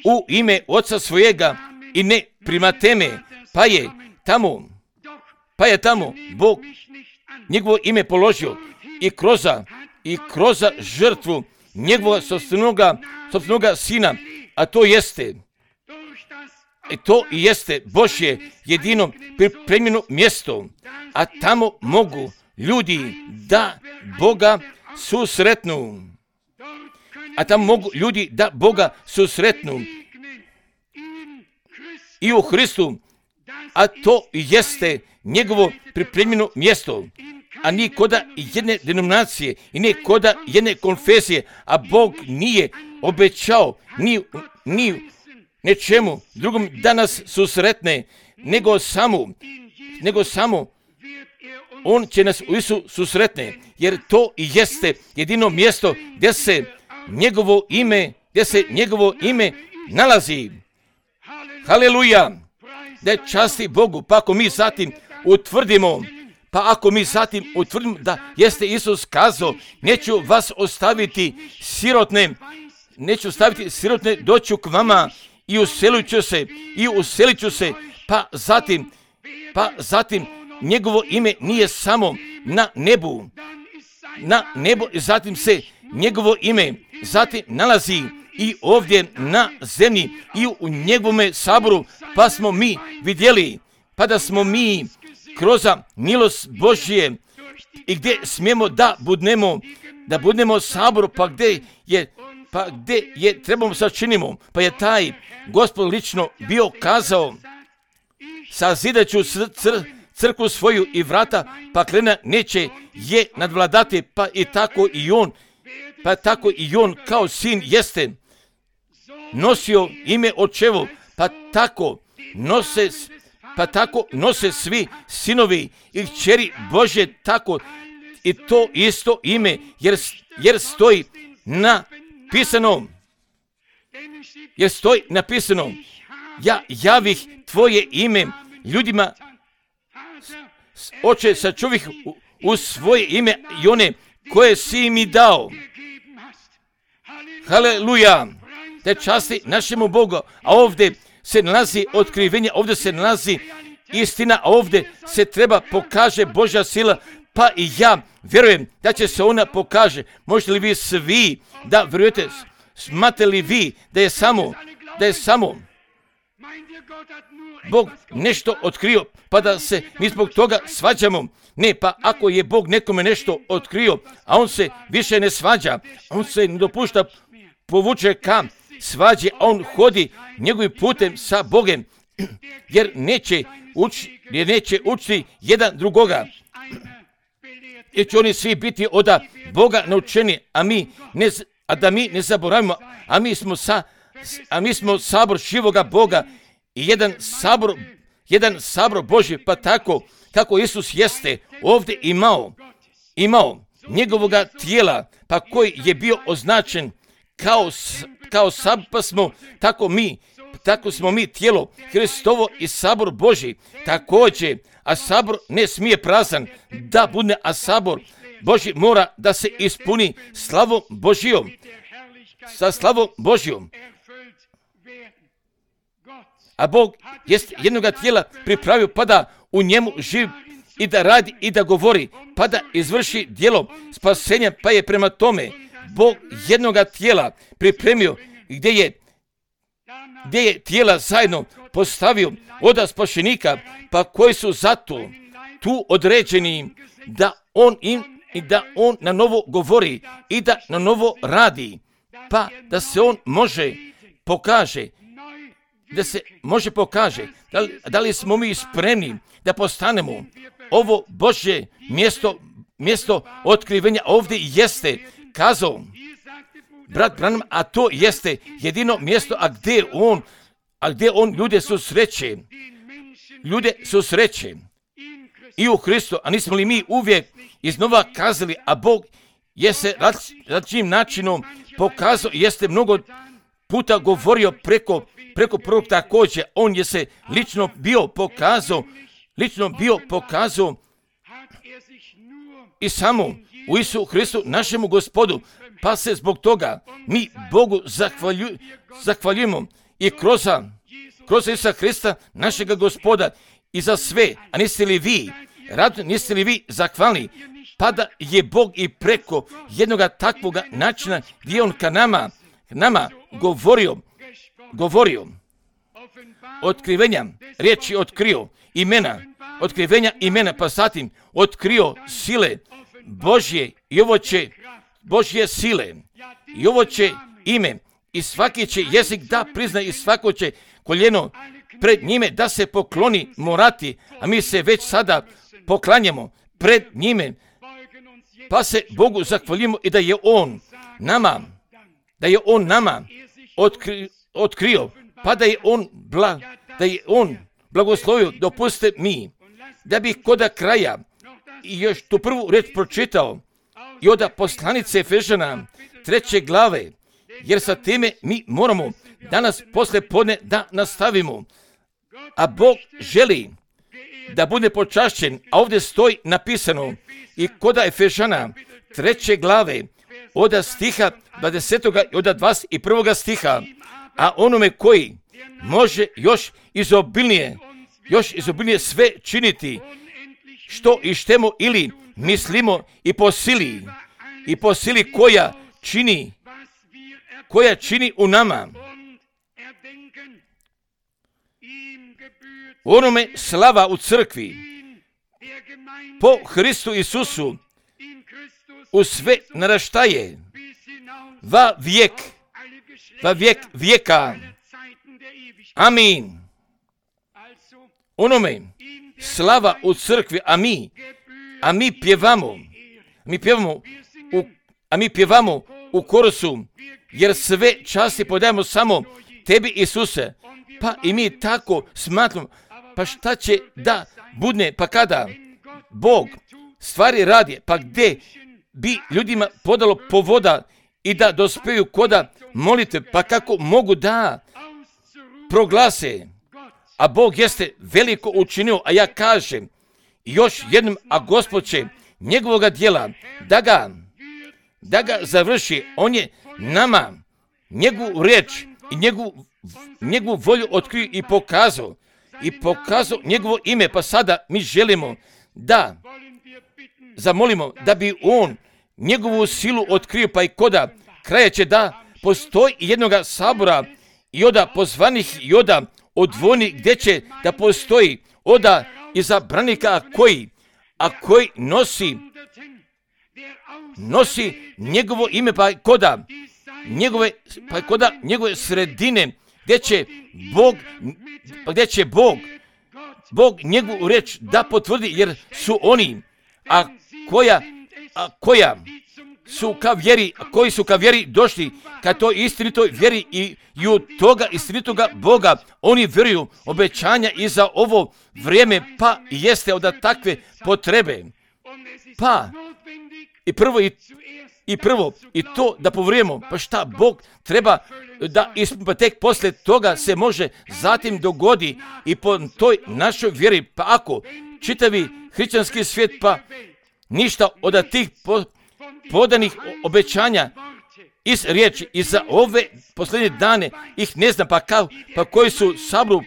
u ime oca svojega i ne prima teme, pa je tamo, pa je tamo Bog njegovo ime položio i kroz i kroz žrtvu njegovog sopstvenoga, sopstvenoga sina, a to jeste, i to i jeste Božje jedino pripremljeno mjesto, a tamo mogu ljudi da Boga susretnu. A tamo mogu ljudi da Boga susretnu i u Hristu, a to jeste njegovo pripremljeno mjesto, a nije koda jedne denominacije i nije koda jedne konfesije, a Bog nije obećao ni, ni nečemu drugom da nas susretne, nego samo, nego samo on će nas u Isu susretne, jer to i jeste jedino mjesto gdje se njegovo ime, gdje se njegovo ime nalazi. Haleluja! Da je časti Bogu, pa ako mi zatim utvrdimo, pa ako mi zatim utvrdimo da jeste Isus kazao, neću vas ostaviti sirotne, neću ostaviti sirotne, doću k vama i uselit ću se, i uselit ću se, pa zatim, pa zatim njegovo ime nije samo na nebu, na nebu, i zatim se njegovo ime zatim nalazi i ovdje na zemlji i u njegovome saboru, pa smo mi vidjeli, pa da smo mi kroz milost Božje i gdje smijemo da budnemo, da budnemo saboru, pa gdje je, pa gdje je trebamo sačinimo, pa je taj Gospod lično bio kazao, sazidat ću cr, cr, crkvu svoju i vrata paklena neće je nadvladati, pa i tako i on, pa tako i on kao sin jeste nosio ime očevo, pa tako nose, pa tako nose svi sinovi i kćeri Božje, tako i to isto ime, jer, jer stoji napisano, jer stoji napisano, ja javih tvoje ime ljudima, oče sačuvih u, u svoje ime i one koje si mi dao. Haleluja! Da časti našemu Bogu, a ovdje se nalazi otkrivenje, ovdje se nalazi istina, a ovdje se treba pokaže Božja sila, pa i ja vjerujem da će se ona pokaže. Možete li vi svi da vjerujete, smatrate li vi da je samo, da je samo Bog nešto otkrio, pa da se mi zbog toga svađamo? Ne, pa ako je Bog nekome nešto otkrio, a on se više ne svađa, on se ne dopušta povuče ka svađi, a on hodi njegovim putem sa Bogem, jer neće uči, jer neće učiti jedan drugoga, jer će oni svi biti od Boga naučeni, a mi ne, a da mi ne zaboravimo, a mi smo sa, a mi smo sabor živoga Boga i jedan sabor, jedan sabor Božji, pa tako kako Isus jeste ovdje imao, imao njegovoga tijela, pa koji je bio označen kao, kao sab, pa smo tako mi, tako smo mi tijelo Hristovo i sabor Božji također, a sabor ne smije prazan da bude, a sabor Božji mora da se ispuni slavom Božjom, sa slavom Božjom. A Bog jest jednoga tijela pripravio pa da u njemu živi i da radi i da govori, pa da izvrši djelo spasenja, pa je prema tome Bog jednoga tijela pripremio gdje je, gdje je tijela zajedno postavio od spašenika, pa koji su zato tu određeni da on im i da on na novo govori i da na novo radi, pa da se on može pokaže, da se može pokaže, da li, da li smo mi spremni da postanemo ovo Božje mjesto, mjesto otkrivenja. Ovdje jeste kazao brat Branham, a to jeste jedino mjesto, a gdje on, a gdje on ljude susreće, ljude susreće i u Hristu, a nismo li mi uvijek iznova kazali, a Bog je se različitim načinom pokazao, jeste mnogo puta govorio preko, preko prvog također, on je se lično bio pokazao, lično bio pokazao i samo u Isu Hristu, našemu Gospodu, pa se zbog toga mi Bogu zahvalju, zahvaljujemo i kroz, kroz Isusa Hrista, našega Gospoda, i za sve. A niste li vi radni, niste li vi zahvalni, pa da je Bog i preko jednoga takvoga načina gdje on ka nama, nama govorio, govorio, otkrivenja, riječi otkrio, imena, otkrivenja imena, pa zatim otkrio sile Božje i ovo će Božje sile i ovo će ime i svaki će jezik da prizna i svako će koljeno pred njime da se pokloni morati, a mi se već sada poklanjamo pred njime, pa se Bogu zahvaljujemo i da je on nama, da je on nama otkri, otkrio, pa da je on bla, da je on blagoslovio. Dopustite mi da bih koda kraja i još tu prvu reč pročitao i od poslanice Efežana treće glave, jer sa time mi moramo danas posle podne da nastavimo. A Bog želi da bude počašćen, a ovdje stoji napisano i koda Efežana treće glave od stiha dvadesetog i od dvadeset prvog stiha, a onome koji može još izobilnije, još izobilnije sve činiti, što i štemo ili mislimo i po sili, i po sili koja čini, koja čini u nama. Onome slava u crkvi, po Hristu Isusu, u sve naraštaje, va vijek, va vijek vijeka. Amin. Onome slava u crkvi, a mi, a mi pjevamo, mi pjevamo, u, a mi pjevamo u korusu, jer sve časti podajemo samo tebi, Isuse. Pa i mi tako smatramo, pa šta će da budne, pa kada Bog stvari radi, pa gdje bi ljudima podalo povoda i da dospiju koda molite, pa kako mogu da proglase, a Bog jeste veliko učinio, a ja kažem još jednom, a Gospod će njegovoga djela da ga, da ga završi. On je nama njegovu riječ i njegovu, njegovu volju otkrio i pokazao, i pokazao njegovo ime, pa sada mi želimo da zamolimo da bi on njegovu silu otkrio, pa i koda kraja će da postoji jednoga sabora i oda pozvanih i oda odvojnih, gdje će da postoji oda izabranika koji, a koji nosi, nosi njegovo ime, pa koda njegove, pa koda njegove sredine, gdje će Bog, gdje će Bog, Bog njegovu reč da potvrdi, jer su oni, a koja, a koja su ka vjeri, koji su ka vjeri došli, ka toj istinitoj vjeri i, i u toga istinitoga Boga, oni vjeruju obećanja i za ovo vrijeme, pa jeste od takve potrebe. Pa i prvo i, i prvo i to da povrijemo, pa šta Bog treba da ispuni, pa tek poslije toga se može zatim dogodi i po toj našoj vjeri, pa ako čitavi hrišćanski svijet, pa ništa od tih po, podanih obećanja iz riječi i za ove posljednje dane ih ne znam, pa, kao, pa koji su sabru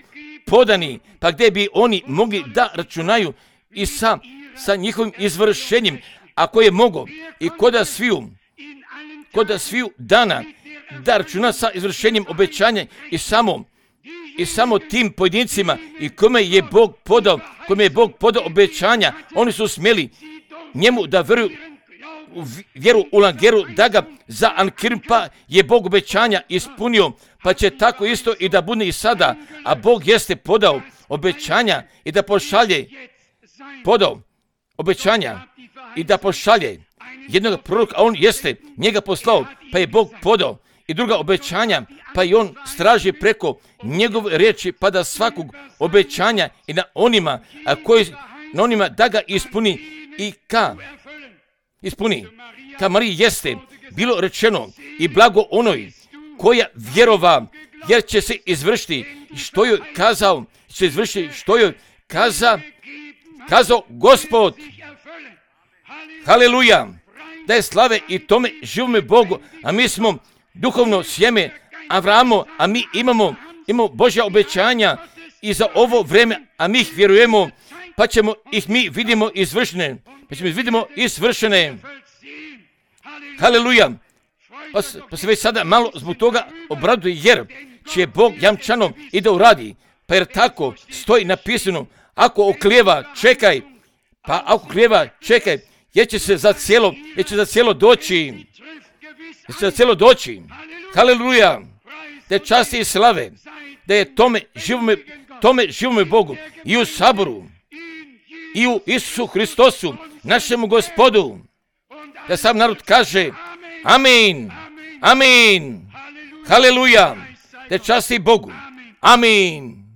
podani, pa gdje bi oni mogli da računaju i sa, sa njihovim izvršenjem, ako je mogo i koda sviju, koda sviju dana da računa sa izvršenjem obećanja i samo, i samo tim pojedincima i kome je Bog podao, kome je Bog podao obećanja, oni su smjeli njemu da vjeruju u vjeru u Langeru, da ga za Ankirmpa je Bog obećanja ispunio, pa će tako isto i da bude i sada. A Bog jeste podao obećanja i da pošalje, podao obećanja i da pošalje jednog proroka, a on jeste njega poslao, pa je Bog podao i druga obećanja, pa i on straži preko njegove riječi, pa da svakog obećanja i na onima, a koji, na onima da ga ispuni i ka ispuni. Ka Mariji jeste bilo rečeno i blago onoj koja vjerova, jer će se izvršiti što joj kazao, će se izvršiti što joj kaza, kazao Gospod. Haleluja! Da je slave i tome živome Bogu, a mi smo duhovno sjeme Avramo, a mi imamo, imamo Božja obećanja i za ovo vreme, a mi ih vjerujemo, pa ćemo ih mi vidimo izvršene. Pa ćemo ih vidimo izvršene. Haleluja! Pa, pa se već sada malo zbog toga obraduje, jer će Bog jamčano i da uradi. Pa jer tako stoji napisano, ako oklijeva, čekaj. Pa ako oklijeva, čekaj, jer će se za cijelo, jer će za cijelo doći. Jer će za cijelo doći. Haleluja! Da je časti i slave, da je tome živome, tome živome Bogu i u saboru, i u Isusu Hristosu, našemu Gospodu, da sam narod kaže amin, amin, haleluja, da je časti Bogu, amin.